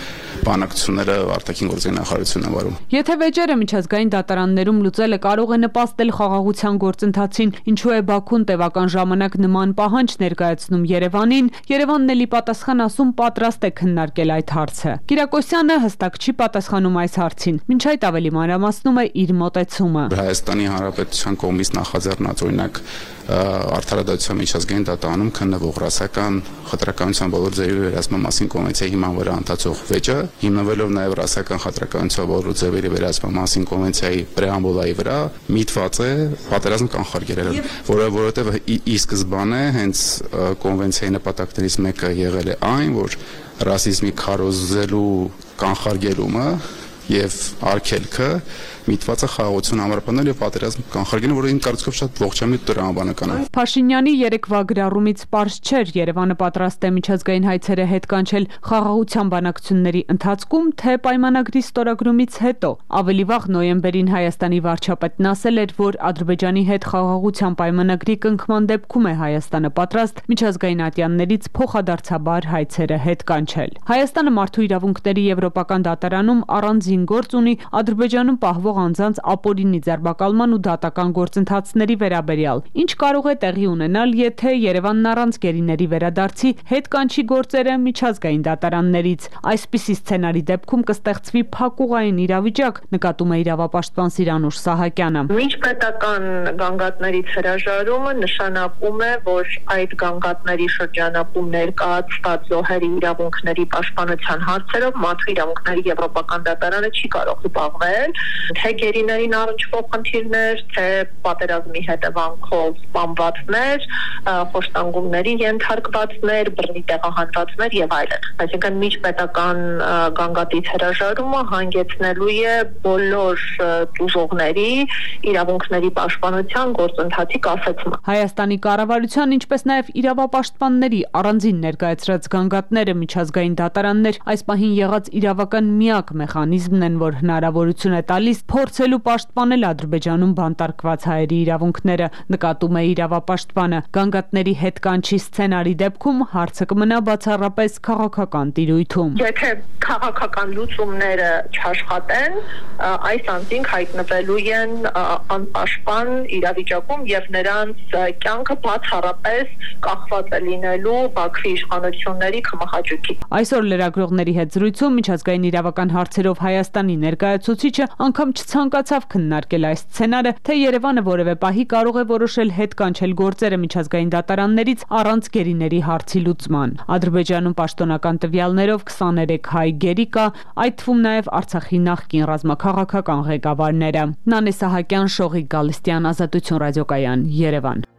Բանակցությունները արտաքին գործերի նախարարությունն է վարում։ Եթե վեճերը միջազգային դատարաններում լուծելը կարող է նպաստել խաղաղության գործընթացին, ինչու է Բաքուն տևական ժամանակ նման պահանջ ներկայացնում Երևանին, Երևանն էլի պատասխան ասում պատրաստ է քննարկել այդ հարցը։ Կիրակոսյանը հստակ չի պատասխանում այս հարցին, մինչ այդ ավելի մանրամասնում է իր մոտեցումը։ Հայաստանի Հանրապետության կողմից նախաձեռնած օրինակ արդարադատության միջազգային դատարանում քննվող ռասական խտրականության բոլոր ձևերի վերահսկման մասին կոնվենցիայի հիման վրա ընդհանուր վեճը, հիմնվելով նաև ռասական խտրականության բոլոր ձևերի վերահսկման մասին կոնվենցիայի պրեամբուլայի վրա միտված է պատերազմ կանխարգելել, որովհետև ի սկզբանե հենց կոնվենցիայի նպատակներից մեկը եղել է այն, որ ռասիզմի քարոզելու կանխարգելումը եւ արգելքը միտված է խաղաղություն ամրապնդել եւ պատերազմ կանխարգելել, որը իմ կարծիքով շատ ողջամիտ տրամաբանական է։ Փաշինյանի երեկվա գրառումից պարզ չէր Երևանը պատրաստ է միջազգային հայցերը հետ կանչել խաղաղության բանակցությունների ընթացքում, թե պայմանագրի ստորագրումից հետո։ Ավելի վաղ նոյեմբերին Հայաստանի վարչապետն ասել էր, որ Ադրբեջանի հետ խաղաղության պայմանագրի կնքման դեպքում է Հայաստանը պատրաստ միջազգային ատյաններից փոխադարձաբար հայցերը հետ կանչել։ Հայաստանը մարդու իրավունքների եվրոպական դատարանում առանձին գործ ունի Ադրբեջանում պահվող անձանց ապօրինի ձերբակալման ու դատական գործընթացների վերաբերյալ։ Ինչ կարող է տեղի ունենալ, եթե Երևանն առանց գերիների վերադարձի հետ կանչի գործերը միջազգային դատարաններից։ Այսպիսի սցենարի դեպքում կստեղծվի փակուղային իրավիճակ, նկատում է իրավապաշտպան Սիրանուշ Սահակյանը։ Միջպետական գանգատներից հրաժարումը նշանակում է, որ այդ գանգատների շրջանակում ներկայացված զոհերի իրավունքների պաշտպանության հարցերով մարդու իրավունքների եվրոպական դատարանը Ադրբեջանը չի կարող զբաղվել, թե գերիներին առնչվող խնդիրներ, թե պատերազմի հետևանքով սպանվածներ, խոշտանգումների ենթարկվածներ, բռնի տեղահանվածներ եւ այլն։ Այսինքն միջպետական գանգատից հրաժարումը հանգեցնելու է բոլոր տուժողների իրավունքների պաշտպանության գործընթացի կասեցման։ Հայաստանի կառավարության, ինչպես նաև իրավապաշտպանների առանձին ներկայացրած գանգատները միջազգային դատարաններ այս պահին եղած իրավական միակ մեխանիզմն են, որ հնարավորություն է տալիս փորձելու պաշտպանել Ադրբեջանում բանտարկված հայերի իրավունքները, նկատում է իրավապաշտպանը։ Գանգատների հետ կանչի սցենարի դեպքում հարցը կմնա բացառապես քաղաքական տիրույթում։ Եթե քաղաքական լուծումները չաշխատեն, այս անձինք հայտնվելու են անպաշտպան իրավիճակում եւ նրանց կյանքը բացառապես կախված է լինելու Բաքվի իշխանությունների կմախաճուկի։ Այսօր լրագրողների հետ զրույցում միջազգային իրավական հարցերով Հայաստանի ներկայացուցիչը անգամ չցանկացավ քննարկել այս սցենարը, թե Երևանը որևէ պահի կարող է որոշել հետ կանչել գործերը միջազգային դատարաններից առանց գերիների հարցի լուծման։ Ադրբեջանում պաշտոնական տվյալներով 23 հայ գերի կա, այդ թվում նաև Արցախի նախկին ռազմաքաղաքական ղեկավարները։ Նանե Սահակյան, Շողիկ Գալստյան, Ազատություն ռադիոկայան, Երևան։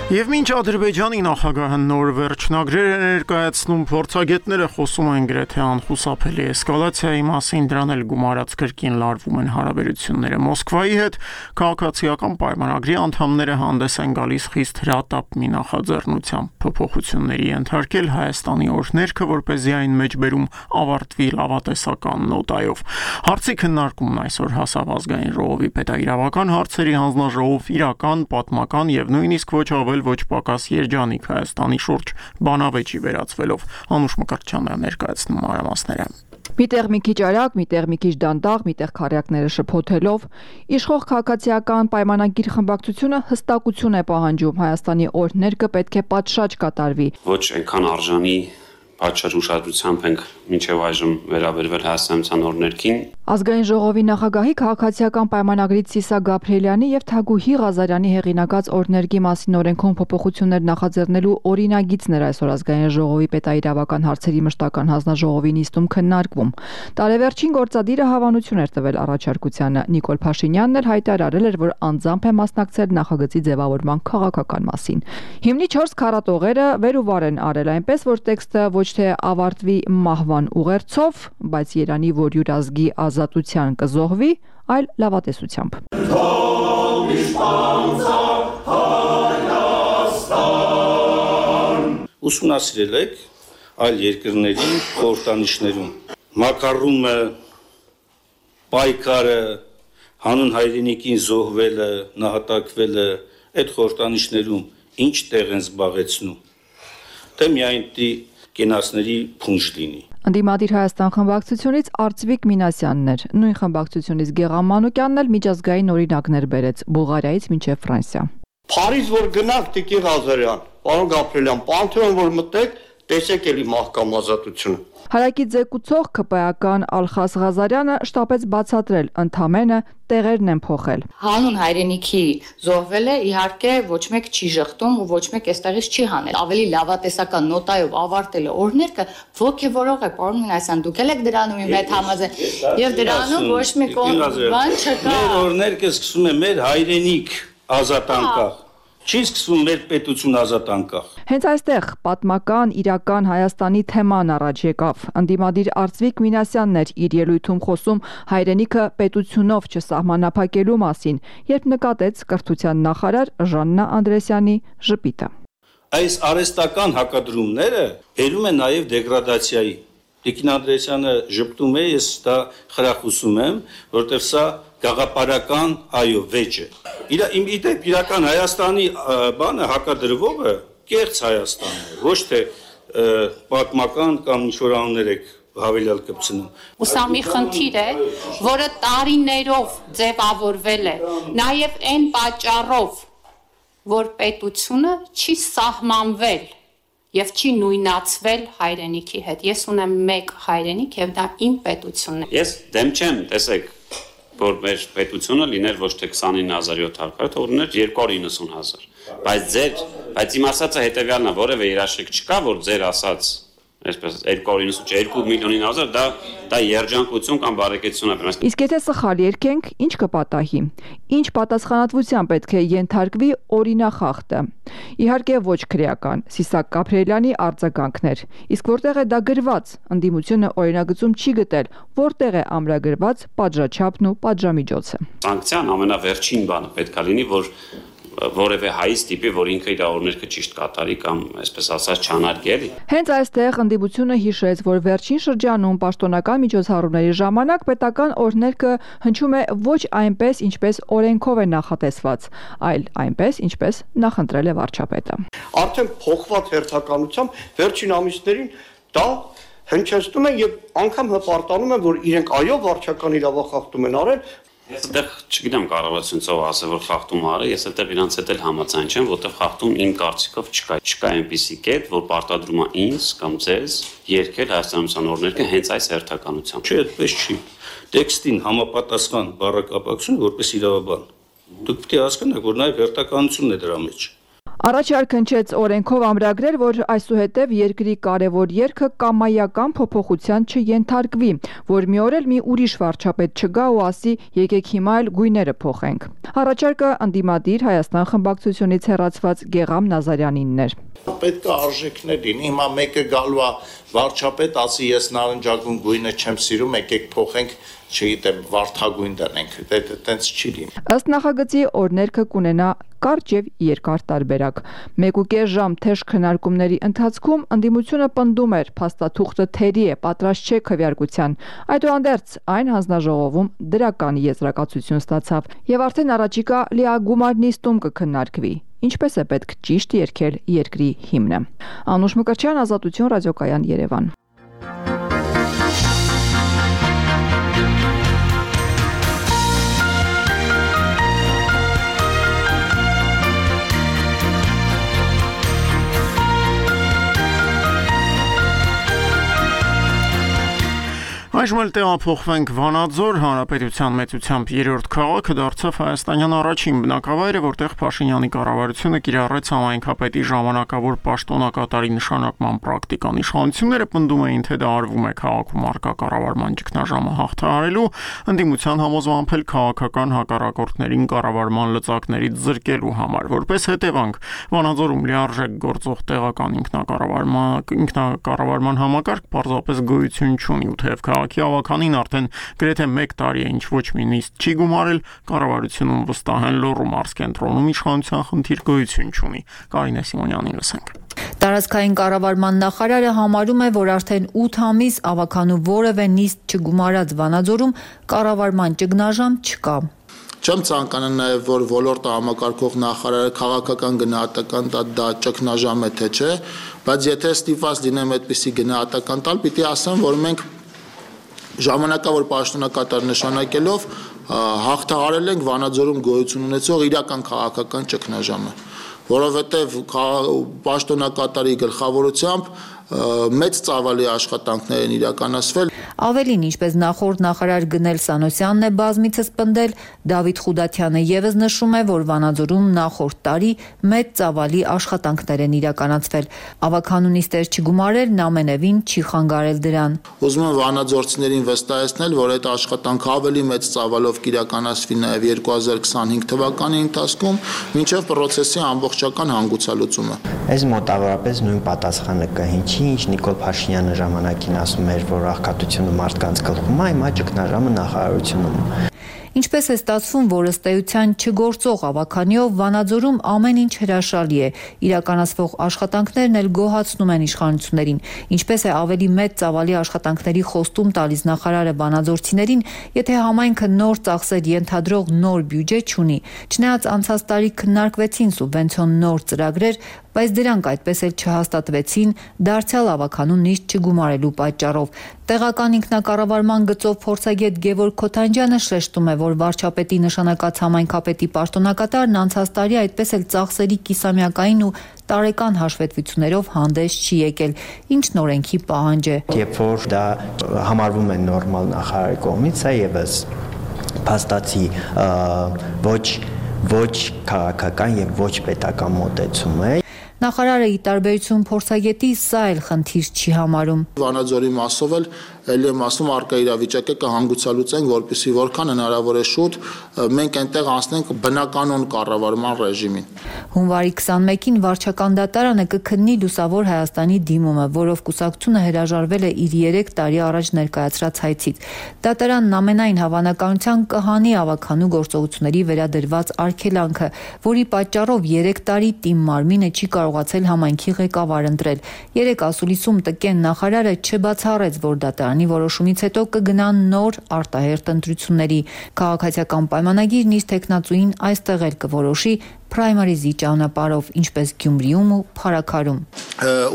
Եվ մինչ Ադրբեջանի նախագահը նոր վերջնագրեր է ներկայացնում, փորձագետները խոսում են գրեթե անխուսափելի էսկալացիայի մասին, դրան էլ գումարած կրկին լարվում են հարաբերությունները Մոսկվայի հետ, քաղաքացիական պայմանագրի անդամները հանդես են գալիս խիստ հրատապ մի նախաձեռնությամբ փոփոխությունների ենթարկել Հայաստանի օրհներքը, որպեսզի այն մեջբերում ավարտվի լավատեսական նոտայով։ Հարցի քննարկումն այսօր հասավ ազգային ժողովի պետաիրավական հարցերի հանձնաժողով իրական, պատմական եւ նույնիսկ ոչ ավել ոչ պակաս երջանիկ Հայաստանի շուրջ բանավեճի վերածվելով։ Անուշ Մկրտչյանն է ներկայացնում մանրամասները։ Միտեղ մի քիչ արագ, միտեղ մի քիչ դանդաղ, միտեղ քարյակները շփոթելով, իշխող քաղաքացիական պայմանագիր խմբակցությունը հստակություն է պահանջում Հայաստանի օրհներքը պետք է պատշաճ կատարվի։ Ոչ այնքան արժանի պատշաճ ուշադրությամբ ենք մինչև այժմ վերաբերվել Հայաստանյան օրհներքին։ Ազգային ժողովի նախագահի քաղաքացիական պայմանագրից Սիսա Գաբրիելյանի եւ Թագուհի Ղազարյանի հեղինակած օրհներգի մասին օրենքում փոփոխություններ նախաձեռնելու օրինագիծն էր այսօր ազգային ժողովի պետաիրավական հարցերի մշտական հանձնաժողովի նիստում քննարկվում։ Տարեվերջին գործադիրը հավանություն էր տվել առաջարկությանը։ Նիկոլ Փաշինյանն էլ հայտարարել էր, որ անձամբ է մասնակցել նախագծի ձևավորման քաղաքական մասին։ Հիմնի 4 քառատողերը վեր ու վար են արել, այնպես որ տեքստը ոչ թե ավարտվի մահվան ուղերձով, բայց Երանի, որ յուրազգի ազատության կզոհվի, այլ լավատեսությամբ։ Ուսումնասիրել եք այլ երկրների խորհրդանիշներում մակարումը, պայքարը, հանուն հայրենիքին զոհվելը, նահատակվելը, այդ խորհրդանիշներում ինչ տեղ են զբաղեցնում, թե միայն կենացների փունջ լինի։ Ընդդիմադիր Հայաստան խմբակցությունից Արծվիկ Մինասյանն էր, նույն խմբակցությունից Գեղամ Մանուկյանն էլ միջազգային օրինակներ բերեց Բուլղարիայից մինչև Ֆրանսիա։ Փարիզ որ գնանք Տիկին Ղազարյան, պարոն Գաբրիելյան, Պանթեոն որ մտեք, տեսեք էլի մահկամ ազատությունը։ Հարակից ձեկուցող ԿՊԱ-ական Ալխաս Ղազարյանը շտապեց բացատրել, ընդամենը տեղերն են փոխել։ Հանուն հայրենիքի զոհվելը իհարկե ոչ մեկ չի ժխտում ու ոչ մեկ այստեղից չի հանել։ Ավելի լավատեսական նոտայով ավարտելը օրհներքը ոգևորող է, պարոն Մինասյան, դուք եք դրանում իմ հետ համաձայն եւ դրանում ոչ մի բան չկա։ Մեր օրհներքը սկսում է մեր հայրենիք ազատ անկախ։ Չի սկսվում մեր պետություն ազատ անկախ։ Հենց այստեղ պատմական իրական Հայաստանի թեման առաջ եկավ։ Ընդդիմադիր Արծվիկ Մինասյանն էր իր ելույթում խոսում հայրենիքը պետությունով չսահմանափակելու մասին, երբ նկատեց կրթության նախարար Ժաննա Անդրեսյանի ժպիտը։ Այս արհեստական հակադրումները բերում են նաև դեգրադացիայի։ Տիկին Անդրեսյանը ժպտում է, ես դա խրախուսում եմ, որտեղ սա գաղափարական այո վեճ է։ Իրական Հայաստանի բանը հակադրվողը կեղծ Հայաստանն է, ոչ թե պատմական կամ ինչ-որ անուններ եք հավելյալ կպցնում։ Ու սա մի խնդիր է, որը տարիներով ձևավորվել է, նաև այն պատճառով, որ պետությունը չի սահմանվել եւ չի նույնացվել հայրենիքի հետ։ Ես ունեմ մեկ հայրենիք եւ դա իմ պետությունն է։ Ես դեմ չեմ, տեսեք, որ մեր պետությունը լիներ ոչ թե 29700, թող լիներ 290,000։ Բայց իմ ասածը հետեւյալն է, որևէ երաշխիք չկա, որ ձեր ասած այսպես 2 միլիոնին ազար դա երջանկություն կամ բարեկեցություն է։ Իսկ եթե սխալ երկենք, ինչ կպատահի։ Ինչ պատասխանատվության պետք է ենթարկվի օրինախախտը։ Իհարկե ոչ քրեական, Սիսակ Գաբրիելյանի արձագանքներ։ Իսկ որտեղ է դա գրված, ընդդիմությունը օրինագծում չի գտել, որտեղ է ամրագրված պատժաչափն ու պատժամիջոցը։ Սանկցիան ամենավերջին բանը պետք է լինի, որ որևէ հայից տիպի, որ ինքը իր օրներքը ճիշտ կատարի կամ այսպես ասած չանարգի էլի։ Հենց այստեղ ընդդիմությունը հիշեց, որ վերջին շրջանում պաշտոնական միջոցառումների ժամանակ պետական օրներքը հնչում է ոչ այնպես, ինչպես օրենքով է նախատեսված, այլ այնպես, ինչպես նախընտրել է վարչապետը։ Արդեն փոխված հերթականությամբ վերջին ամիսներին դա հնչեցնում են եւ անգամ հպարտանում են, որ իրենք այո վարչական իրավախախտում են արել։ Ես այդտեղ չգիտեմ կառավարությունով ասել, որ խախտում արել, ես այդտեղ իրանց հետ էլ համաձայն չեմ, որտեղ խախտում իմ կարծիքով չկա այնպիսի կետ, որ պարտադրում է ինձ կամ ձեզ երկել հայաստանության օրներքը հենց այս հերթականությամբ։ Չէ, այդպես չի։ Տեքստին համապատասխան բառակապակցությունը որպես իրավաբան։ Դուք պետք է հասկանաք, որ նաև հերթականությունն է դրա մեջ։ Առաջարկ հնչեց օրենքով ամրագրել, որ այսուհետև երկրի կարևոր երգը կամայական փոփոխության չենթարկվի, որ մի օր էլ մի ուրիշ վարչապետ չգա ու ասի եկեք հիմա էլ գույները փոխենք։ Առաջարկը ընդդիմադիր Հայաստան խմբակցությունից հեռացված Գեգամ Նազարյանինն էր։ Պետք է արժեքներ լինի, հիմա մեկը գալու է վարչապետ, ասի ես նարնջագույն գույնը չեմ սիրում, եկեք փոխենք, չգիտեմ, վարդագույն դնենք, այդտենց չի լինի։ Ըստ նախագծի օրներքը կունենա կարճ եւ երկար տարբերակ։ 1.5 ժամ թեժ քննարկումների ընթացքում ընդդիմությունը պնդում էր, փաստաթուղթը թերի է, պատրաստ չէ քվեարկության։ Այդուհանդերձ այն հանձնաժողովում դրական եզրակացություն ստացավ եւ արդեն առաջիկա լիագումար նիստում կքննարկվի։ Ինչպես է պետք ճիշտ երգել երկրի հիմնը։ Անուշ Մկրտչյան, Ազատություն, ռադիոկայան, Երևան։ Այժմ էլ տեղափոխվենք Վանաձոր, Հանրապետության մեծությամբ 3-րդ քաղաքը դարձավ հայաստանյան առաջին բնակավայրը, որտեղ Փաշինյանի կառավարությունը կիրառեց համայնքապետի ժամանակավոր պաշտոնակատարի նշանակման պրակտիկան։ Իշխանությունները պնդում էին, թե դա արվում է քաղաքում առկա կառավարման ճգնաժամը հաղթահարելու, ընդդիմության համոզմամբ էլ քաղաքական հակառակորդներին կառավարման լծակներից զրկելու համար։ Որպես հետևանք, Վանաձորում լիարժեք գործող տեղական ինքնակառավարման համակարգ պարզապես գոյություն չունի, ու թեև քաղաքի ավականին արդեն գրեթե 1 տարի է ինչ ոչ մի նիստ չի գումարել, կառավարությունում վստահ են Լոռու մարզկենտրոնում իշխանության խնդիր գոյություն չունի։ Կարինե Սիմոնյանին լսենք։ Տարածքային կառավարման նախարարը համարում է, որ արդեն 8 ամիս ավականու որևէ նիստ չգումարած Վանաձորում կառավարման ճգնաժամ չկա։ Չեմ ցանկանում նաև որ ոլորտը համակարգող նախարարը քաղաքական գնահատական դա ճգնաժամ է թե չէ, բայց եթե ստիպված լինեմ այդպիսի գնահատական տալ, պիտի ասեմ, որ մենք ժամանակավոր պաշտոնակատար նշանակելով հաղթահարել ենք Վանաձորում գոյություն ունեցող իրական քաղաքական ճգնաժամը, որովհետև պաշտոնակատարի գլխավորությամբ մեծ ծավալի աշխատանքներ են իրականացվել։ Ավելին, ինչպես նախորդ նախարար Գնել Սանոսյանն է բազմիցս պնդել, Դավիթ Խուդատյանը ևս նշում է, որ Վանաձորում նախորդ տարի մեծ ծավալի աշխատանքներ են իրականացվել։ Ավականու նիստեր չգումարելն ամենևին չի խանգարել դրան։ Ուզում եմ վանաձորցիներին վստահեցնել, որ այդ աշխատանքը ավելի մեծ ծավալով կիրականացվի նաև 2025 թվականի ընթացքում, մինչև պրոցեսի ամբողջական հանգուցալուծումը։ Այս մոտավորապես նույն պատասխանը կհինչի, ինչ Նիկոլ Փաշինյանը ժամանակին ասում էր, որ աղքատությունը մարդկանց գլխում է, հիմա ճգնաժամը նախարարությունում։ Ինչպես է ստացվում, որ ըստ էության չգործող ավականիով Վանաձորում ամեն ինչ հրաշալի է, իրականացվող աշխատանքներն էլ գոհացնում են իշխանություններին, ինչպես է ավելի մեծ ծավալի աշխատանքների խոստում տալիս նախարարը վանաձորցիներին, եթե համայնքը նոր ծախսեր ենթադրող նոր բյուջե չունի։ Չնայած անցած տարի քննարկվեցին սուբվենցիոն նոր ծրագրեր, բայց դրանք այդպես էլ չհաստատվեցին դարձյալ ավականու նիստ չգումարելու պատճառով։ Տեղական ինքնակառավարման գծով փորձագետ Գևորգ Քոթանջյանը շեշտում է, որ վարչապետի նշանակած համայնքապետի պաշտոնակատարն անցած տարի այդպես էլ ծախսերի կիսամյակային ու տարեկան հաշվետվություններով հանդես չի եկել, ինչն օրենքի պահանջ է։ Երբ որ դա համարվում է նորմալ նախարարի կողմից, սա եւս փաստացի ոչ քաղաքական եւ ոչ պետական մոտեցում է։ Նախարարը ի տարբերություն փորձագետի սա էլ խնդիր չի համարում։ Վանաձորի մասով էլ ելի եմ ասում արկա իրավիճակը կհանգուցալուծենք, որպեսզի որքան հնարավոր է շուտ մենք այնտեղ անցնենք բնականon կառավարման ռեժիմին։ Հունվարի 21-ին վարչական դատարանը կքննի Լուսավոր Հայաստանի դիմումը, որով կուսակցությունը հրաժարվել է իր 3 տարի առաջ ներկայացրած հայցից։ Դատարանն ամենայն հավանականությամբ կհանի ավականու գործողությունների վերադրված արգելանքը, որի պատճառով 3 տարի Տիմ Մարմինը չի կարողացել համայնքի ղեկավար ընտրել։ 3 ասուլիսում տկեն նախարարը չբացառեց, որ դատարանի որոշումից հետո կգնան նոր արտահերթ ընտրությունների։ Քաղաքացիական պայմանագիրն իր տեխնացուին այստեղ էլ կորոշի պրայմարիզի ճանապարհով, ինչպես Գյումրիում ու Փարաքարում։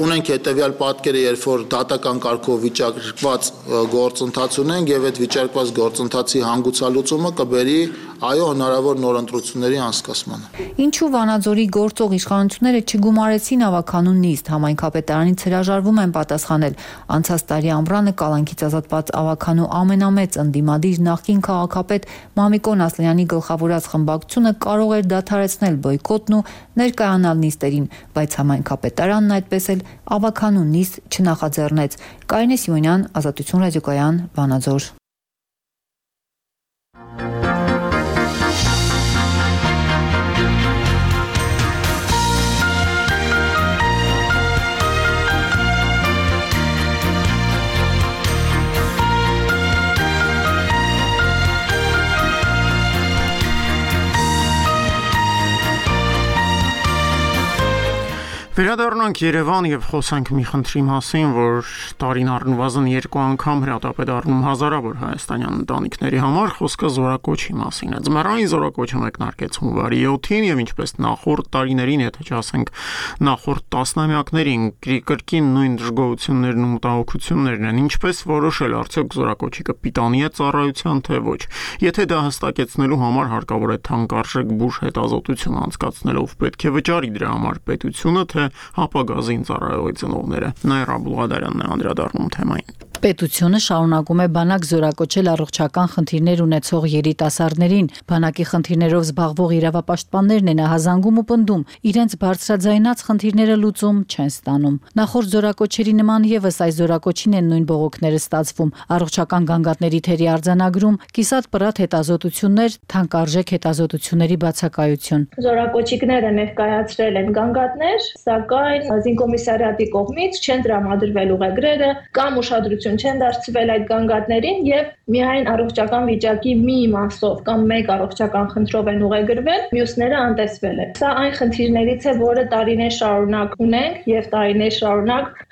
Ունենք հետևյալ պատկերը, երբ որ դատական կարգով վիճակված գործընթաց ունենք եւ այդ վիճակված գործընթացի հանգուցալուծումը կբերի այո հնարավոր նոր ընտրությունների անցկացմանը։ Ինչու Վանաձորի գործող իշխանությունները չգումարեցին ավականու նիստ, համայնքապետարանից հրաժարվում են պատասխանել։ Անցած տարի ամռանը կալանքից ազատված ավականու ամենամեծ ընդդիմադիր նախկին քաղաքապետ Մամիկոն Ասլյանի գլխավորած խմբակցությունը կարող էր դադարեցնել բոյկոտն ու ներկայանալ նիստերին, բայց համայնքապետարանն այդպես էլ ավականու նիստ չնախաձեռնեց։ Կարինե Սիմոնյան, Ազատություն ռադիոկայան, Վանաձոր։ Վերադառնանք Երևան եւ խոսանք մի խնդրի մասին, որ տարին առնվազն 2 անգամ հրատապ է դառնում հազարավոր հայաստանյան ընտանիքների համար, խոսքը զորակոչի մասին է։ Ձմեռային զորակոչը մեկնարկեց հունվարի 7-ին եւ ինչպես նախորդ տարիներին, եթե չասենք նախորդ տասնամյակներին, կրկին նույն դժգոհություններն ու մտահոգություններն են, ինչպես որոշել արդյոք զորակոչի կպիտանի է ծառայության թե ոչ։ Եթե դա հստակեցնելու համար հարկավոր է թանկարժեք բուժ հետազոտություն անցկացնելով, պետք է վճարի դրա համար պետությունը, թե հապագազին ծառայողի ծնողները։ Նաիրա Բուլղադարյանն է անդրադառնում թեմային։ Պետությունը շարունակում է բանակ զորակոչել առողջական խնդիրներ ունեցող երիտասարդներին։ Բանակի խնդիրներով զբաղվող իրավապաշտպաններն են ահազանգում ու պնդում, իրենց բարձրաձայնած խնդիրները լուծում չեն ստանում։ Նախորդ զորակոչերի նման եւս այս զորակոչին են նույն բողոքները ստացվում։ Առողջական գանգատների թերի արձանագրում, կիսատ պրատ հետազոտություններ, թանկարժեք հետազոտությունների բացակայություն։ Զորակոչիկները ներկայացրել են գանգատներ, սակայն զինկոմիսարիատի կողմից չեն տրամադրվել ուղեգրերը կամ ուշադրություն չեն դարձվել այդ գանգատներին եւ միայն առողջական վիճակի մի մասով կամ մեկ առողջական խնդրով են ուղեգրվել, մյուսները անտեսվել են։ Սա այն խնդիրներից է, որը տարիներ շարունակ ունենք եւ տարիներ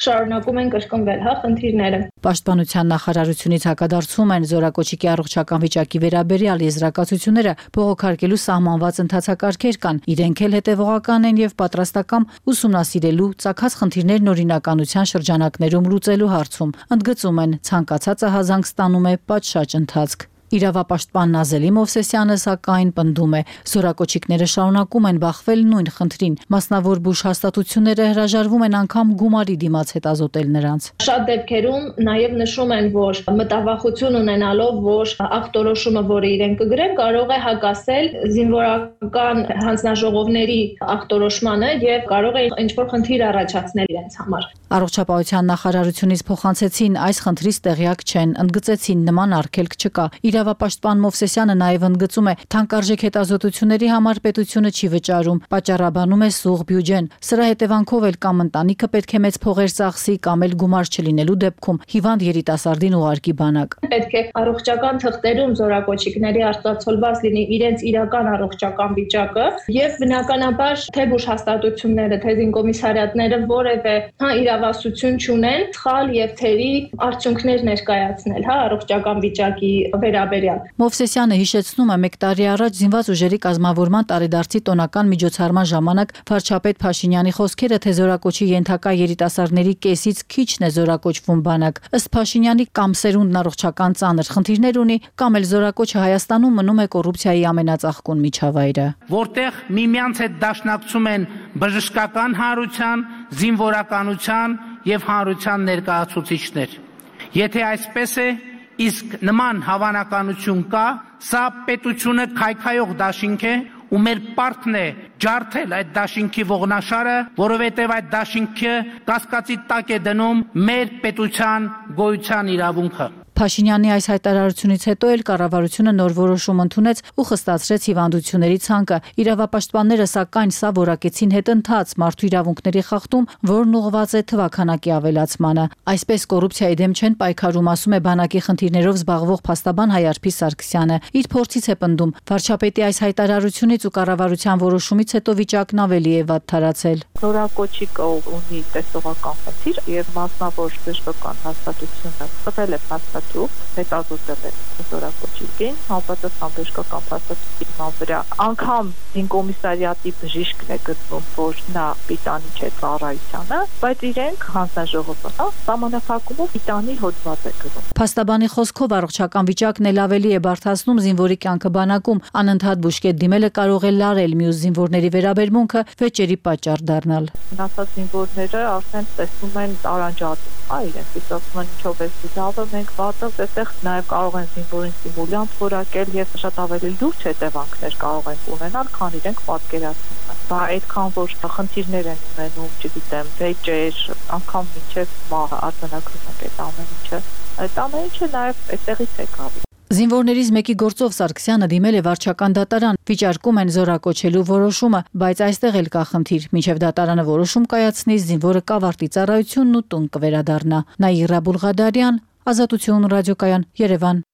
շարունակում են կրկնվել, խնդիրները։ Պաշտպանության նախարարությունից հակադարձում են զորակոչիկի առողջական վիճակի վերաբերյալ եզրակացությունները բողոքարկելու սահմանված ընթացակարգեր կան, իրենք էլ հետևողական են եւ պատրաստական ուսումնասիրելու ցակած խնդիրներն օրինականության շրջանակներում լուծելու հարցում։ Ընդգծում են, ցանկացածը հազանգ ստանում է պատշաճ ընթացք։ Իրավապաշտպան Նազելի Մովսեսյանը սակայն պնդում է, զորակոչիկները շարունակում են բախվել նույն խնդրին, մասնավոր բուժ հաստատությունները հրաժարվում են անգամ գումարի դիմաց հետազոտել նրանց։ Շատ դեպքերում նաև նշում են, որ մտավախություն ունենալով, որ ախտորոշումը, որը իրենք կգրեն, կարող է հակասել զինվորական հանձնաժողովների ախտորոշմանը եւ կարող է ինչ-որ խնդիր առաջացնել իրենց համար։ Առողջապահության նախարարությունից փոխանցեցին այս խնդրից տեղյակ չեն, ընդգծեցին նման արգելք չկա։ Իրավապաշտպան Մովսեսյանը նաև ընդգծում է, թանկարժեք հետազոտությունների համար պետությունը չի վճարում, պատճառաբանում է սուղ բյուջեն։ Սրա հետևանքով էլ կամ ընտանիքը պետք է մեծ փողեր ծախսի, կամ էլ գումար չլինելու դեպքում հիվանդ երիտասարդին ուղարկի բանակ։ Պետք է առողջական թղթերում զորակոչիկների արտացոլված լինի իրենց իրական առողջական վիճակը եւ բնականաբար թե բուժ հաստատությունները, թե զինկոմիսարիատները որևէ իրավասություն չունեն սխալ եւ թերի արդյունքներ ներկայացնել, առողջական վիճակի վերաբերյալ վերաբերյալ։ Մովսեսյանը հիշեցնում է 1 տարի առաջ զինված ուժերի կազմավորման տարեդարձի տոնական միջոցառման ժամանակ վարչապետ Փաշինյանի խոսքերը, թե զորակոչի ենթակա երիտասարդների կեսից քիչն է զորակոչվում բանակ։ Ըստ Փաշինյանի կամ սերունդն առողջական ծանր խնդիրներ ունի, կամ էլ զորակոչը Հայաստանում մնում է կոռուպցիայի ամենածաղկուն միջավայրը։ Որտեղ միմյանց հետ դաշնակցում են բժշկական հանրության, զինվորականության եւ հանրության ներկայացուցիչներ։ Եթե այսպես է, իսկ նման հավանականություն կա, սա պետությունը քայքայող դաշինք է, ու մեր պարտքն է ջարդել այդ դաշինքի ողնաշարը, որովհետև այդ դաշինքը կասկածի տակ է դնում մեր պետության գոյության իրավունքը։ Փաշինյանի այս հայտարարությունից հետո էլ կառավարությունը նոր որոշում ընդունեց ու խստացրեց հիվանդությունների ցանկը։ Իրավապաշտպանները սակայն սա որակեցին հետընթաց մարդու իրավունքների խախտում, որն ուղղված է թվաքանակի ավելացմանը։ Այսպես կոռուպցիայի դեմ չեն պայքարում, ասում է բանակի խնդիրներով զբաղվող փաստաբան Հայարփի Սարգսյանը։ Իր փորձից է պնդում, վարչապետի այս հայտարարությունից ու կառավարության որոշումից հետո վիճակն ավելի է վատթարացել։ Զորակոչի ունի տեսողական խնդիր եւ մասնավոր բժշկական հաստատությունը տվել է փաստաթուղթ, հետազոտել է զորակոչին, համապատասխան բժշկական փաստաթուղթի վրա անգամ զինկոմիսարիատի բժիշկն է գտնում, որ նա պիտանի չէ ծառայությանը, բայց իրենք հանձնաժողովը սահմանափակումով պիտանի հոդված է գրում։ Փաստաբանի խոսքով առողջական վիճակն էլ ավելի է բարդացնում զինվորի կյանքը բանակում, անընդհատ բուժկետ դիմելը կարող է լարել մյուս զինվորների վերաբերմունքը, վեճերի պատճառ դառնալ։ Մնացած զինվորները արդեն տեսնում են տարանջատում, իրենք ասում են ինչով է լավը, մենք վատը, այդտեղ նաև կարող են զինվորին սիմուլյանտ որակել եւ շատ ավելի լուրջ հետևանքներ կարող են ունենալ, քան իրենք պատկերացնում են։ Բա այդքան որ խնդիրներ են ունենում, չգիտեմ, վեճեր, անգամ մինչև մահ արձանագրում են այդ ամեն ինչը։ Այդ ամեն ինչը նաև այդտեղից է գալիս։ Զինվորներից մեկի գործով Սարգսյանը դիմել է վարչական դատարան, վիճարկում են զորակոչելու որոշումը, բայց այստեղ էլ կա խնդիր։ Մինչև դատարանը որոշում կայացնի, զինվորը կավարտի ծառայությունն ու տուն կվերադառնա։ Նաիրա Բուլղադարյան, Ազատություն ռադիոկայան, Երևան։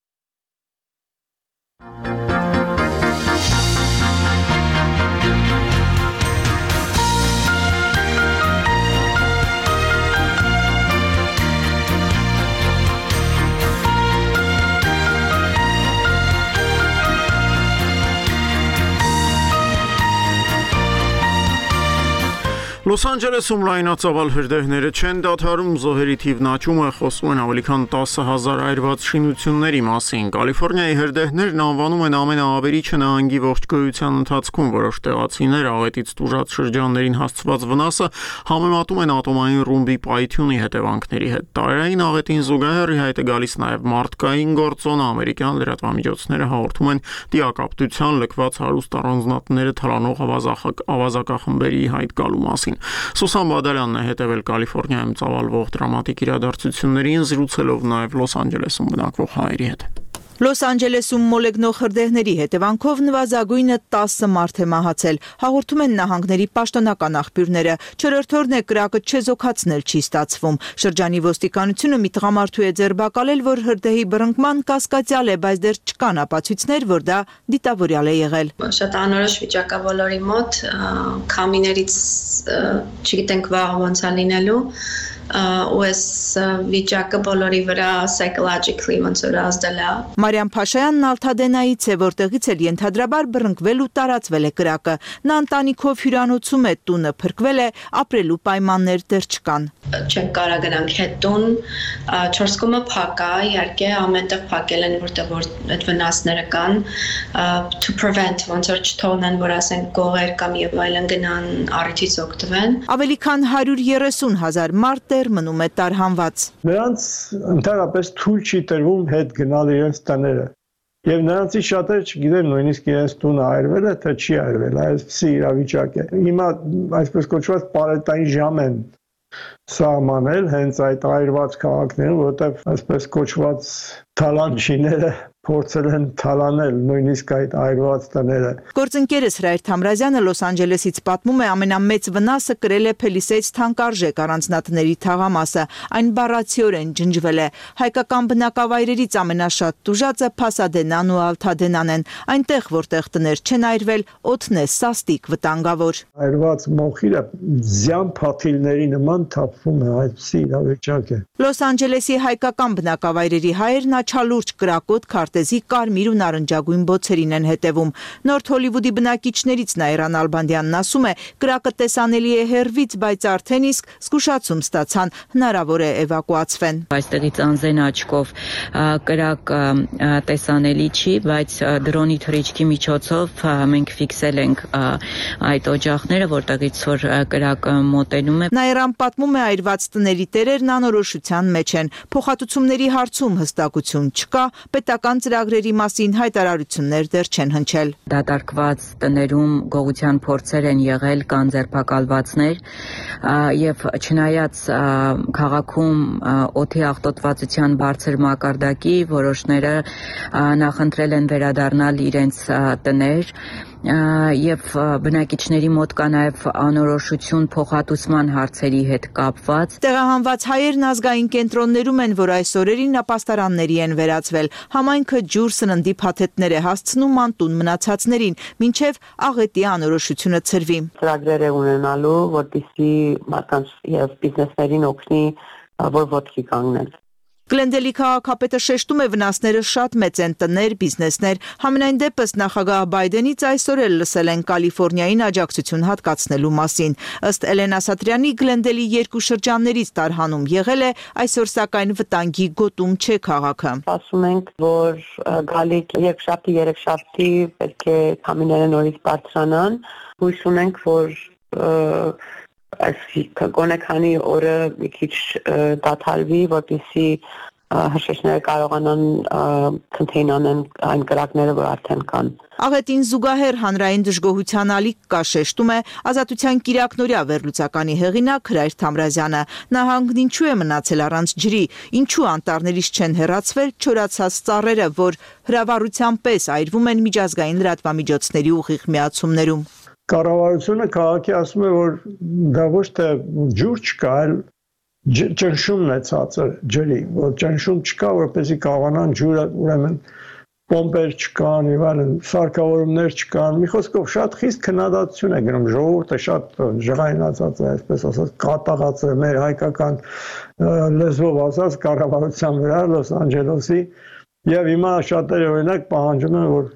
Լոս Անջելեսում լայնածավալ հրդեհները չեն դադարում, զոհերի թիվն աճում է, խոսում են ավելի քան 10,000 այրված շինությունների մասին։ Կալիֆոռնիայի հրդեհներն անվանում են ամենաավերիչը նահանգի ողջ գոյության ընթացքում, որոշ տեղացիներ աղետից տուժած շրջաններին հասցված վնասը համեմատում են ատոմային ռումբի պայթյունի հետևանքների հետ։ Տարերային աղետին զուգահեռ ի հայտ է գալիս նաև մարդկային գործոնը, ամերիկյան լրատվամիջոցները հաղորդում են դիակապտության լքված հարուստ առանձնատները թալանող ավազակախմբերի հայտ գալու մասին։ Սուսան Բադալյանն է հետևել Կալիֆոռնիայում ծավալվող դրամատիկ իրադարձություններին, զրուցելով նաև Լոս Անջելեսում բնակվող հայերի հետ։ Լոս Անջելեսում մոլեգնող հրդեհների հետևանքով նվազագույնը 10 մարդ է մահացել, հաղորդում են նահանգների պաշտոնական աղբյուրները։ Չորրորդ օրն է կրակը չեզոքացնել չի ստացվում։ Շրջանի ոստիկանությունը մի տղամարդու է ձերբակալել, որ հրդեհի բռնկման կասկածյալ է, բայց դեռ չկան ապացույցներ, որ դա դիտավորյալ է եղել։ Շատ անորոշ վիճակ է բոլորի մոտ, քամիներից չգիտենք վաղը ոնց է լինելու, ու այս վիճակը բոլորի վրա psychologically ոնց որ ազդել է։ Մարիամ Փաշայանն Ալթադենայից է, որտեղից էլ ենթադրաբար բռնկվել ու տարածվել է կրակը։ Նա ընտանիքով հյուրանոցում է, տունը փրկվել է, ապրելու պայմաններ դեռ չկան։ Չենք կարող գնանք հետ տուն, 4 կողմը փակ է, իհարկե ամենտեղ փակել են, որտեղ որ այդ վնասները կան, to prevent ոնց որ չթողնեն, որ ասենք գողեր կամ եւ այլն գնան առիթից օգտվեն։ Ավելի քան 130,000 մարդ դեռ մնում է տարհանված։ Նրանց ընդհանրապես թույլ չի տրվում հետ գնալ իրենց տները։ Եվ նրանցից շատերը չգիտեն նույնիսկ իրենց տունը այրվել է, թե չի այրվել, այսպիսի իրավիճակ է։ Հիմա այսպես կոչված պարետային ժամ են սահմանել հենց այդ այրված քաղաքներում, որտեղ այսպես կոչված թալանչիները փորձել են թալանել նույնիսկ այդ այրված տները։ Գործընկերս Հրայր Թամրազյանը Լոս Անջելեսից պատմում է, ամենամեծ վնասը կրել է Փելիսեյց թանկարժեք առանձնատների թաղամասը, այն բառացիորեն ջնջվել է։ Հայկական բնակավայրերից ամենաշատ տուժածը Փասադենան ու Ալթադենան են, այնտեղ որտեղ տներ չեն այրվել, օդն է սաստիկ վտանգավոր։ Այրված մոխիրը զյան փաթիլների նման թափվում է, այսպիսի իրավիճակ է։ Լոս Անջելեսի հայկական բնակավայրերի հայերն աչալուրջ կրակոտ քարտեզ քարտեզի կարմիր ու նարնջագույն բոցերին են հետևում։ Նորթ Հոլիվուդի բնակիչներից Նաիրան Ալբանդյանն ասում է, կրակը տեսանելի է հեռվից, բայց արդեն իսկ զգուշացում ստացան, հնարավոր է էվակուացվեն։ Այստեղից անզեն աչքով կրակ տեսանելի չի, բայց դրոնի թռիչքի միջոցով մենք ֆիքսել ենք այդ օջախները, որտեղից որ կրակը մոտենում է։ Նաիրան պատմում է, այրված տների տերերն անորոշության մեջ են։ Փոխհատուցումների հարցում հստակություն չկա, պետական ծրագրերի մասին հայտարարություններ դեռ չեն հնչել։ Դատարկված տներում գողության փորձեր են եղել, կան ձերբակալվածներ եւ չնայած քաղաքում օդի աղտոտվածության բարձր մակարդակի որոշները նախընտրել են վերադառնալ իրենց տներ եւ բնակիչների մոտ կա նաեւ անորոշություն փոխհատուցման հարցերի հետ կապված։ Տեղահանված հայերն ազգային կենտրոններում են, որ այս օրերին ապաստարանների են վերածվել։ Համայնքը ջուր, սննդի փաթեթներ է հասցնում անտուն մնացածներին, մինչև աղետի անորոշությունը ցրվի։ Ծրագրեր է ունենալու, որպեսզի մարդկանց եւ բիզնեսներին օգնի, որ ոտքի կանգնեն։ Գլենդելի քաղաքապետը շեշտում է, վնասները շատ մեծ են, տներ, բիզնեսներ։ Համենայն դեպս նախագահ Բայդենից այսօր էլ լսել են Կալիֆոռնիային աջակցություն հատկացնելու մասին։ Ըստ Էլենա Սատրյանի, Գլենդելի երկու շրջաններից տարհանում եղել է, այսօր սակայն վտանգի գոտում չէ քաղաքը։ Ասում ենք, որ գալիք երկշաբթի, երեքշաբթի պետք է քամիները նորից բարձրանան։ Հույս ունենք, որ գոնե քանի օրը մի քիչ դադարվի, որպեսզի հրշեջները կարողանան contain անեն այն կրակները, որ արդեն կան։ Աղետին զուգահեռ հանրային դժգոհության ալիք կա, շեշտում է Ազատության կիրակնօրյա վերլուծականի հեղինակ Հրայր Թամրազյանը։ Նահանգն ինչու է մնացել առանց ջրի, ինչու անտառներից չեն հեռացվել չորացած ծառերը, որ հրավառության պես այրվում են միջազգային լրատվամիջոցների ուղիղ միացումներում։ Կառավարությունը քաղաքի ասում է, որ դա ոչ թե ջուր չկա, այլ ճնշումն է ցածր ջրի, որ ճնշում չկա, որպեսզի կարողանան ջուրը, ուրեմն պոմպեր չկան, եւ այլն, սարքավորումներ չկան։ Մի խոսքով շատ խիստ քննադատություն է գնում, ժողովուրդը շատ ժղայնացած է, այսպես ասած, կատաղած է մեր հայկական լեզվով ասած կառավարության վրա Լոս Անջելեսի։ Եվ հիմա շատերը օրինակ պահանջում են, որ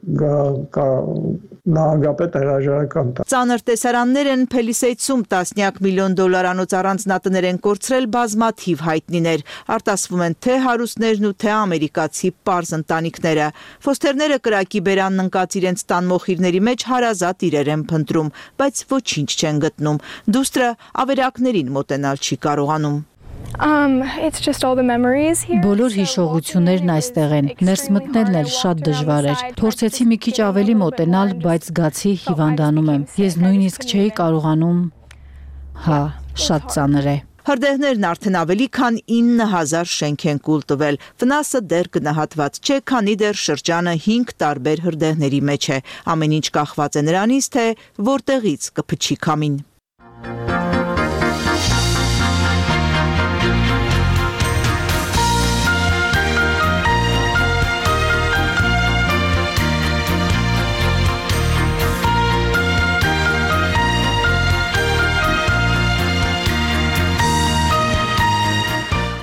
նահանգապետը հրաժարական տա։ Ծանր տեսարաններ են Փելիսեյցում $10 միլիոն անոց առանձնատներ են կորցրել բազմաթիվ հայտնիներ։ Արտասվում են թե հարուստներն ու թե ամերիկացի պարզ ընտանիքները։ Ֆոստերները կրակի բերանն ընկած իրենց տան մոխիրների մեջ հարազատ իրեր են փնտրում, բայց ոչինչ չեն գտնում։ Դուստրը ավերակներին մոտենալ չի կարողանում։ Բոլոր հիշողություններն այստեղ են, ներս մտնելն էլ շատ դժվար էր։ Փորձեցի մի քիչ ավելի մոտենալ, բայց զգացի հիվանդանում եմ։ Ես նույնիսկ չէի կարողանում, շատ ծանր է։ Հրդեհներն արդեն ավելի քան 9000 շենք են կուլ տվել։ Վնասը դեռ գնահատված չէ, քանի դեռ շրջանը 5 տարբեր հրդեհների մեջ է։ Ամեն ինչ կախված է նրանից, թե որտեղից կփչի քամին։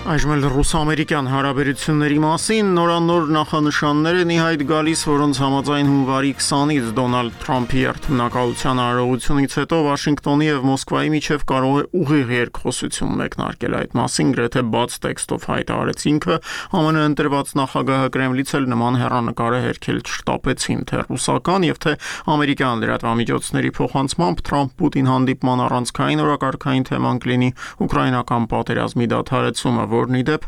Այժմ էլ ռուս-ամերիկյան հարաբերությունների մասին նորանոր նախանշաններ են ի հայտ գալիս, որոնց համաձայն հունվարի 20-ից Դոնալդ Թրամփի երթմնակալության արարողությունից հետո Վաշինգտոնի եւ Մոսկվայի միջև կարող է ուղիղ երկխոսություն մեկնարկել։ Այդ մասին գրեթե բաց տեքստով հայտարարեց ինքը, ԱՄՆ ընտրված նախագահը Կրեմլից էլ նման հեռանկար է հերքել շտապեցին, թե ռուսական եւ թե ամերիկյան լրատվամիջոցների փոխանցմամբ Թրամփ-Պուտին հանդիպման առանցքային օրակարգային թեման կլինի ուկրաինական պատերազմի դադարեցումը, որն ի դեպ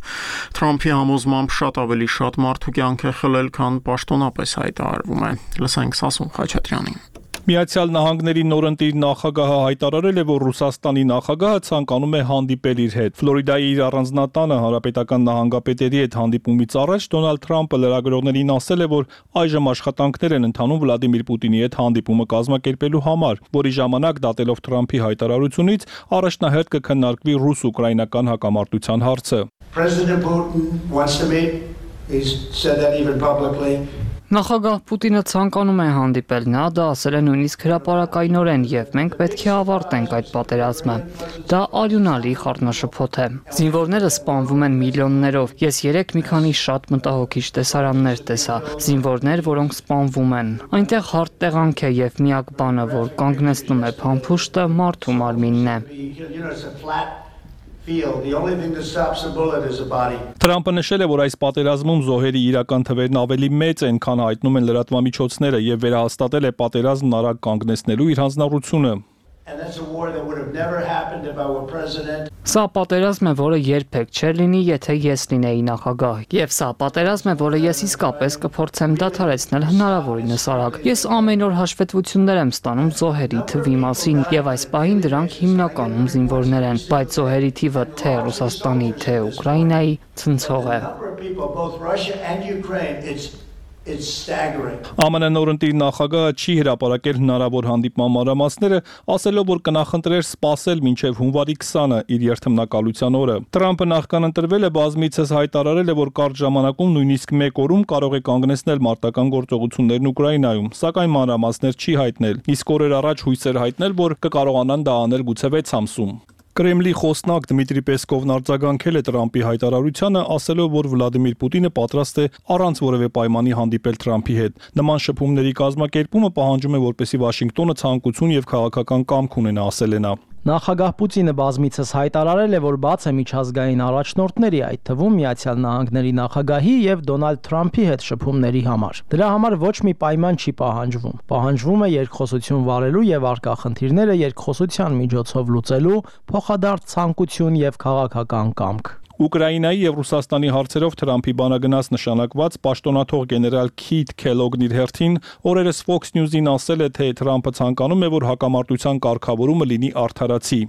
Թրամփի համոզմամբ շատ ավելի շատ մարդու կյանք է խլել, քան պաշտոնապես հայտարարվում է։ Լսենք Սասուն Խաչատրյանին։ Միացյալ Նահանգների նորընտիր նախագահը հայտարարել է, որ Ռուսաստանի նախագահը ցանկանում է հանդիպել իր հետ։ Ֆլորիդայի իր առանձնատանը հանրապետական նահանգապետերի հետ հանդիպումից առաջ Դոնալդ Թրամփը լրագրողներին ասել է, որ այժմ աշխատանքներ են ընթանում Վլադիմիր Պուտինի հետ հանդիպումը կազմակերպելու համար, որի ժամանակ դատելով Թրամփի հայտարարությունից առաջնահերթ կքննարկվի ռուս-ուկրաինական հակամարտության հարցը։ Նախագահ Պուտինը ցանկանում է հանդիպել, նա դա ասել է նույնիսկ հրապարակայնորեն եւ մենք պետք է ավարտենք այդ պատերազմը։ Դա արյունալի խառնաշփոթ է։ Զինվորները սպանվում են միլիոններով։ Ես 3 մի քանի շատ մտահոգիչ տեսարաններ տեսա։ Զինվորներ, որոնք սպանվում են։ Այնտեղ հարթ տեղանք է եւ միակ բանը, որ կանգնեցնում է փամփուշտը, մարդու մարմինն է։ Թրամփը նշել է, որ այս պատերազմում զոհերի իրական թվերն ավելի մեծ են, քան հայտնում են լրատվամիջոցները եւ վերահաստատել է պատերազմն արագ կանգնեցնելու իր հանձնառությունը։ Սա պատերազմ է, որը երբեք չէր լինի, եթե ես լինեի նախագահ։ Եվ սա պատերազմ է, որը ես իսկապես կփորձեմ դադարեցնել հնարավորինս արագ։ Ես ամեն օր հաշվետվություններ եմ ստանում զոհերի թվի մասին, եւ այս պահին դրանք հիմնականում զինվորներ են, բայց զոհերի թիվը թե Ռուսաստանի, թե Ուկրաինայի ցնցող է։ ԱՄՆ նորընտիր նախագահը չի հրապարակել հնարավոր հանդիպման մանրամասները, ասելով, որ կնախընտրեր սպասել մինչև հունվարի 20-ը իր երթմնակալության օրը։ Թրամփը նախքան ընտրվել է, բազմիցս հայտարարել է, որ կարճ ժամանակում նույնիսկ մեկ օրում կարող է կանգնեցնել մարտական գործողություններն Ուկրաինայում, սակայն մանրամասներ չի հայտնել։ Իսկ օրեր առաջ հույսեր հայտնել, որ կկարողանան դա անել գուցե 6 ամսում։ Կրեմլի խոսնակ Դմիտրի Պեսկովն արձագանքել է Թրամփի հայտարարությանը, ասելով, որ Վլադիմիր Պուտինը պատրաստ է առանց որևէ պայմանի հանդիպել Թրամփի հետ։ Նման շփումների կազմակերպումը պահանջում է, որպեսզի Վաշինգտոնը ցանկություն եւ քաղաքական կամք ունենա, ասել է նա։ Նախագահ Պուտինը բազմիցս հայտարարել է, որ բաց է միջազգային առաջնորդների, այդ թվում Միացյալ Նահանգների նախագահի եւ Դոնալդ Թրամփի հետ շփումների համար։ Դրա համար ոչ մի պայման չի պահանջվում։ Պահանջվում է երկխոսություն վարելու եւ արկա խնդիրները երկխոսության միջոցով լուծելու, փոխադարձ ցանկություն եւ քաղաքական կամք։ Ուկրաինայի եւ Ռուսաստանի հարցերով Թրամփի բանագնաց նշանակված պաշտոնաթող գեներալ Քիթ Քելոգն իր հերթին օրերս Fox News-ին ասել է, թե Թրամփը ցանկանում է, որ հակամարտության կարգավորումը լինի արդարացի։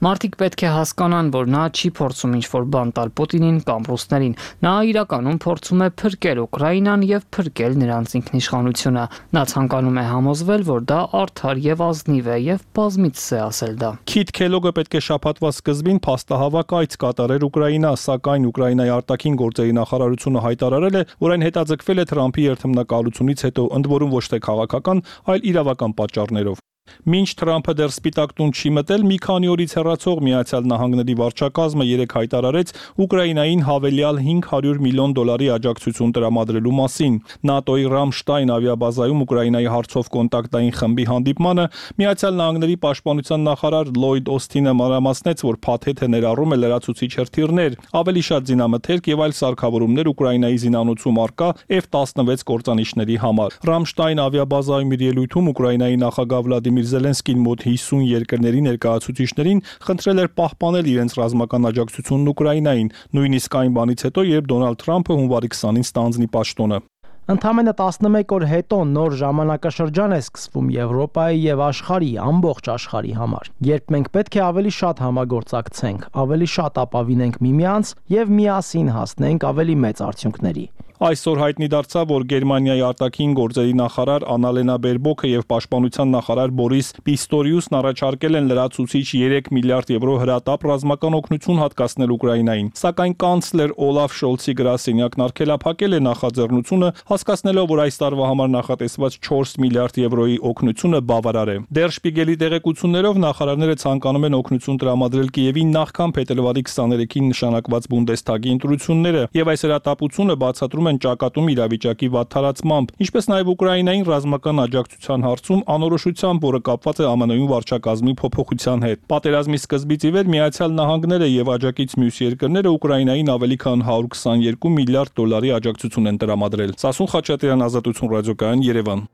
Մարդիկ պետք է հասկանան, որ նա չի փորձում ինչ-որ բան տալ Պուտինին կամ ռուսներին։ Նա իրականում փորձում է փրկել Ուկրաինան եւ փրկել նրանց ինքնիշխանությունը։ Նա ցանկանում է համոզվել, որ դա արդար եւ ազնիվ է եւ բազմիցս է ասել դա։ Քիթ Քելոգը պետք է շաբաթվա սկզբին փաստահավաք այց կատարեր Ուկրաինա, սակայն Ուկրաինայի արտաքին գործերի նախարարությունը հայտարարել է, որ այն հետաձգվել է Թրամփի երթմնակալությունից հետո, ընդ որում ոչ թե քաղաքական, այլ իրավական պատճառներով։ Մինչ Թրամփը դեռ Սպիտակ տուն չի մտել, մի քանի օրից հեռացող Միացյալ Նահանգների վարչակազմը երեկ հայտարարեց Ուկրաինային հավելյալ $500 միլիոն աջակցություն տրամադրելու մասին։ ՆԱՏՕ-ի Ռամշտայն ավիաբազայում Ուկրաինայի հարցով կոնտակտային խմբի հանդիպմանը Միացյալ Նահանգների պաշտպանության նախարար Լլոյդ Օսթինը մանրամասնեց, որ փաթեթը ներառում է լրացուցիչ հրթիռներ, ավելի շատ զինամթերք եւ այլ սարքավորումներ Ուկրաինայի զինանոցում առկա F-16 կործանիչների համար։ Ռամշտայն ավիաբազայում իր ելույթում Ուկրաինայի նախագահ Վլադիմիր Զելենսկին մոտ 50 երկրների ներկայացուցիչներին խնդրել էր պահպանել իրենց ռազմական աջակցությունն Ուկրաինային, նույնիսկ այն բանից հետո, երբ Դոնալդ Թրամփը հունվարի 20-ին ստանձնի պաշտոնը։ Ընդամենը 11 օր հետո նոր ժամանակաշրջան է սկսվում Եվրոպայի եւ աշխարհի ամբողջ աշխարհի համար, երբ մենք պետք է ավելի շատ համագործակցենք, ավելի շատ ապավինենք միմյանց եւ միասին հասնենք ավելի մեծ արդյունքների։ Այսօր հայտնի դարձավ, որ Գերմանիայի արտաքին գործերի նախարար Անալենա Բերբոքը եւ պաշտպանության նախարար Բորիս Պիստորիուսն առաջարկել են լրացուցիչ 3 միլիարդ եվրո հրատապ ռազմական օգնություն հատկացնել Ուկրաինային, սակայն կանցլեր Օլաֆ Շոլցի գրասենյակն արգելափակել է նախաձեռնությունը, հասկացնելով, որ այս տարվա համար նախատեսված 4 միլիարդ եվրոյի օգնությունը բավարար է։ Դեր Շպիգելի տեղեկություններով նախարարները ցանկանում են օգնություն տրամադրել Կիևին նախքան փետրվարի 23-ին նշանակված Բունդեսթագի ընտրությունները, եւ այս հրատապությունը բացատրում են ճակատում իրավիճակի վատթարացմամբ, ինչպես նաև Ուկրաինային ռազմական աջակցության հարցում անորոշությամբ, որը կապված է ԱՄՆ-ում վարչակազմի փոփոխության հետ։ Պատերազմի սկզբից ի վեր Միացյալ Նահանգները եւ աջակից մյուս երկրները Ուկրաինային ավելի քան $122 միլիարդ աջակցություն են տրամադրել։ Սասուն Խաչատրյան, Ազատություն ռադիոկայան, Երևան։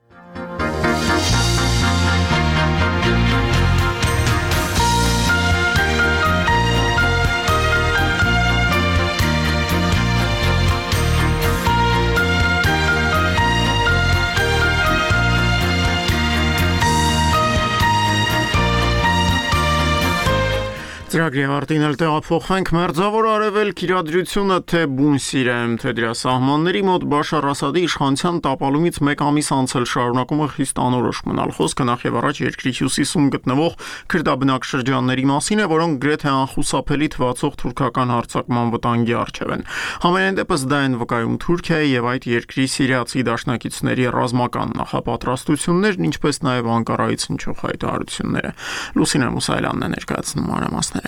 Ծրագրի ավարտին էլ տեղափոխվենք Մերձավոր Արևելք իրադրությունը թե բուն Սիրիայում, թե դրա սահմանների մոտ Բաշար Ասադի իշխանության տապալումից 1 ամիս անցել շարունակում է խիստ անորոշ մնալ։ Խոսքը նախ եւ առաջ երկրի հյուսիսում գտնվող քրդաբնակ շրջանների մասին է, որոնք գրեթե անխուսափելի թվացող թուրքական հարձակման վտանգի առջև են։ Համենայն դեպս դա են վկայում Թուրքիայի եւ այդ երկրի սիրիացի դաշնակիցների ռազմական նախապատրաստություններն, ինչպես նաեւ Անկարայից հնչող հայտարարությունները։ Լուսինե Մուսայելյանն է ներկայացնում մանրամասները։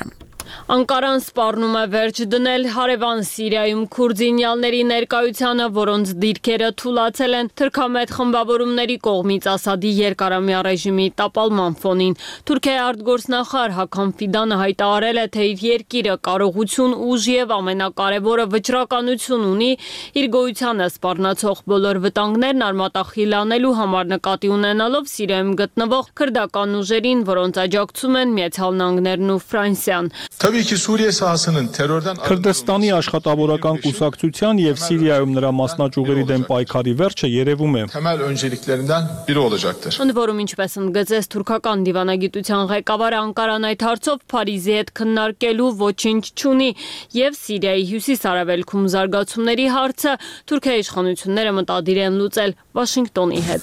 Անկարան սպառնում է վերջ դնել հարևան Սիրիայում քուրդինյալների ներկայությանը, որոնց դիրքերը թուլացել են թրքամետ խմբավորումների կողմից Ասադի երկարամյա ռեժիմի տապալման ֆոնին։ Թուրքիայի արտգործնախարար Հական Ֆիդանը հայտարարել է, թե իր երկիրը կարողություն, ուժ եւ ամենակարևորը վճռականություն ունի իր գոյությանը սպառնացող բոլոր վտանգներն արմատախիլ անելու համար, նկատի ունենալով Սիրիայում գտնվող քրդական ուժերին, որոնց աջակցում են Միացյալ Նահանգներն ու Ֆրանսիան։ Քրդստանի աշխատավորական կուսակցության եւ Սիրիայում նրա մասնաճյուղերի դեմ պայքարի վերջը երևում է։ Ընդ որում, ինչպես ընդգծեց թուրքական դիվանագիտության ղեկավարը, Անկարան այդ հարցով Փարիզի հետ քննարկելու ոչինչ չունի եւ Սիրիայի հյուսիս-արևելքում զարգացումների հարցը Թուրքիայի իշխանությունները մտադիր են լուծել Վաշինգտոնի հետ։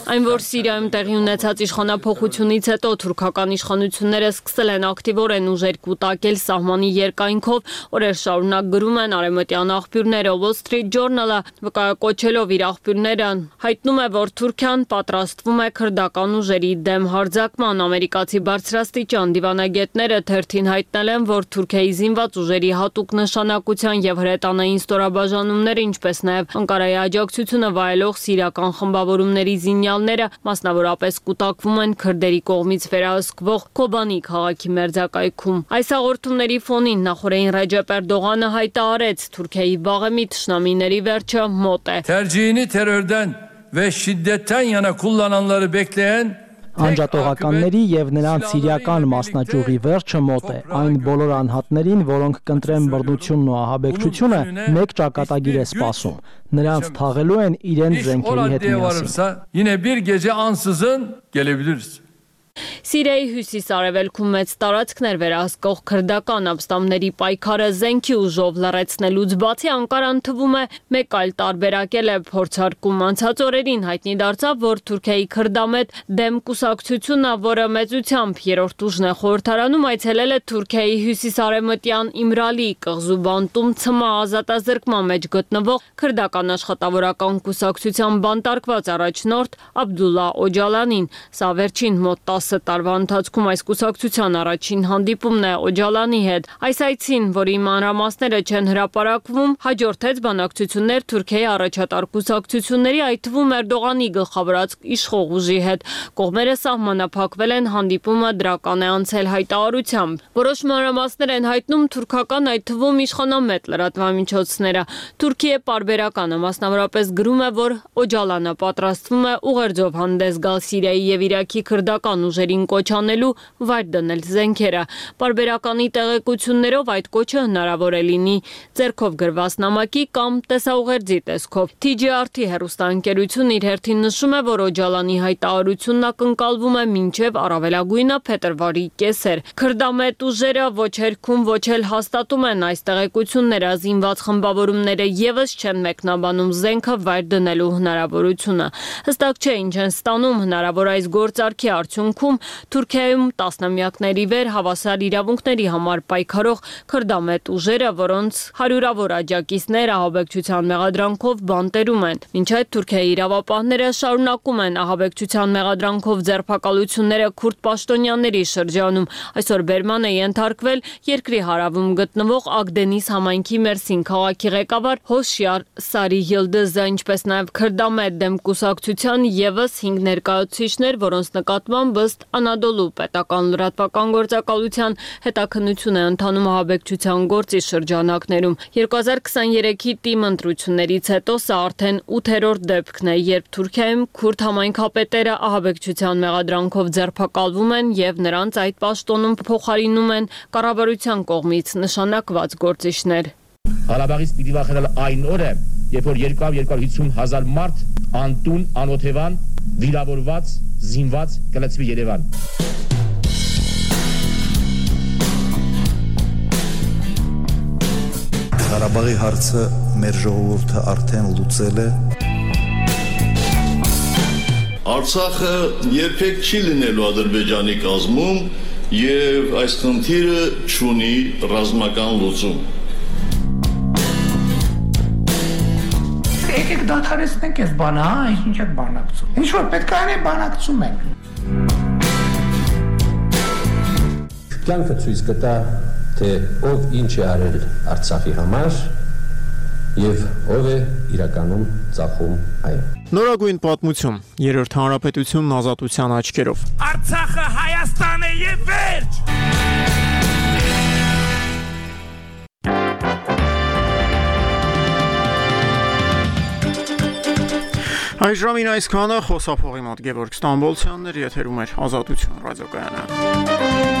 Այն որ Սիրիայում տեղի ունեցած իշխանափոխությունից հետո թուրքական իշխանությունները սկսել են ակտիվորեն ուժեր կուտակել սահմանի երկայնքով, օրեր շարունակ գրում են արևմտյան աղբյուրները։ Wall Street Journal-ը վկայակոչելով իր աղբյուրները հայտնում է, որ Թուրքիան պատրաստվում է քրդական ուժերի դեմ հարձակման։ Ամերիկացի բարձրաստիճան դիվանագետները թերթին հայտնել են, որ Թուրքիայի զինված ուժերի հատուկ նշանակության եւ հրետանային ստորաբաժանումները, ինչպես նաեւ Անկարայի աջակցությունը վայելող սիրիական խմբավորումների զինյալները մասնավորապես կուտակվում են քրդերի կողմից վերահսկվող Քոբանի քաղաքի մերձակայքում։ Այս հաղորդումների ֆոնին նախորդին Ռեջեփ Էրդողանը հայտարարեց, Թուրքիայի վաղեմի թշնամիների վերջը մոտ է։ Tercihini terörden ve şiddetten yana kullananları bekleyen Անջատողականների եւ նրանց սիրիական մասնաճյուղի վերջը մոտ է։ Այն բոլոր անհատներին, որոնք կընտրեն բռնությունն ու ահաբեկչությունը, մեկ ճակատագիր է սպասում։ Նրանց թաղելու են իրենց զենքերի հետ միասին։ Yine bir gece ansızın gelebiliriz. Սիրիայի հյուսիս-արևելքում մեծ տարածքներ վերահսկող քրդական ապստամբների պայքարը զենքի ուժով լռեցնելուց բացի Անկարան թվում է մեկ այլ տարբերակել է փորձարկում։ Անցած օրերին հայտնի դարձավ, որ Թուրքիայի քրդամետ դեմ կուսակցությունը, որը մեծությամբ երրորդ ուժն է խորհրդարանում, այցելել է Թուրքիայի հյուսիս-արևմտյան Իմրալի կղզու բանտում ՑՄ ազատազրկման մեջ գտնվող քրդական աշխատավորական կուսակցության բանտարկված առաջնորդ Աբդուլլա Օջալանին։ Սա վերջին մոտ 10 տարվա ընթացքում այս կուսակցության առաջին հանդիպումն է Օջալանի հետ։ Այս այցին, որի մանրամասները չեն հրապարակվում, հաջորդեց բանակցություններ Թուրքիայի առաջատար կուսակցությունների, այդ թվում Էրդողանի գլխավորած իշխող ուժի հետ։ Կողմերը սահմանափակվել են, հանդիպումը դրական է անցել հայտարարությամբ։ Որոշ մանրամասներ են հայտնում թուրքական, այդ թվում իշխանամետ լրատվամիջոցները։ Թուրքիա պարբերականը մասնավորապես գրում է, որ Օջալանը պատրաստվում է ուղերձով հանդես գալ Սիրիայի եւ Իրաքի քրդական ուժերին կոչ անելու վայր դնել զենքերը։ Պարբերականի տեղեկություններով այդ կոչը հնարավոր է լինի ձեռքով գրված նամակի կամ տեսաուղերձի տեսքով։ TGRT հեռուստաընկերությունն իր հերթին նշում է, որ Օջալանի հայտարարությունն ակնկալվում է մինչև առավելագույնը փետրվարի կեսեր։ Քրդամետ ուժերը ոչ հերքում, ոչ էլ հաստատում են այս տեղեկությունները, զինված խմբավորումները եւս չեն մեկնաբանում զենքը վայր դնելու հնարավորությունը։ Հստակ չէ ինչ են ստանում հնարավոր այս գործարքի արդյունքում Թուրքիայում տասնամյակների վեր հավասար իրավունքների համար պայքարող քրդամետ ուժերը, որոնց հարյուրավոր աջակիցներ ահաբեկչության մեղադրանքով բանտերում են։ Մինչ այդ Թուրքիայի իրավապահները շարունակում են ահաբեկչության մեղադրանքով ձերբակալությունները քուրդ պաշտոնյաների շրջանում։ Այսօր բերման է ենթարկվել երկրի հարավում գտնվող Ագդենիս համայնքի Մերսին քաղաքի ղեկավար Հոշյար Սարի Յիլդզը, ինչպես նաև քրդամետ դեմ կուսակցության եւս 5 ներկայացուցիչներ, որոնց նկատմամբ ըստ Անադոլու պետական լրատվական գործակալության հետաքննություն է ընթանում ահաբեկչության գործի շրջանակներում։ 2023-ի ՏԻՄ ընտրություններից հետո սա արդեն 8-րդ դեպքն է, երբ Թուրքիայում քուրդ համայնքապետերը ահաբեկչության մեղադրանքով ձերբակալվում են եւ նրանց այդ պաշտոնում փոխարինում են կառավարության կողմից նշանակված գործիչներ։ Ղարաբաղից պիտի վախենալ այն օրը, երբ որ 250,000 մարդ անտուն, անօթևան, վիրավորված, զինված կլցվի Երևան։ Ղարաբաղի հարցը մեր ժողովուրդը արդեն լուծել է։ Արցախը երբեք չի լինելու Ադրբեջանի կազմում եւ այս խնդիրը չունի ռազմական լուծում։ Եկեք դադարեցնենք այս բանը, հա, ինչ եք բանակցում։ Ինչ որ պետք է անենք, բանակցում ենք։ Կյանքը ցույց կտա, թե ով ինչ է արել Արցախի համար եւ ով է իրականում ծախում այն։ Նորագույն պատմություն, Երրորդ հանրապետությունն ազատության աչքերով։ Արցախը Հայաստան է եւ վերջ։ Այս ժամին այսքանը խոսափողի մոտ Գևորգ Ստամբոլցյանն էր, եթերում էր Ազատություն ռադիոկայանը։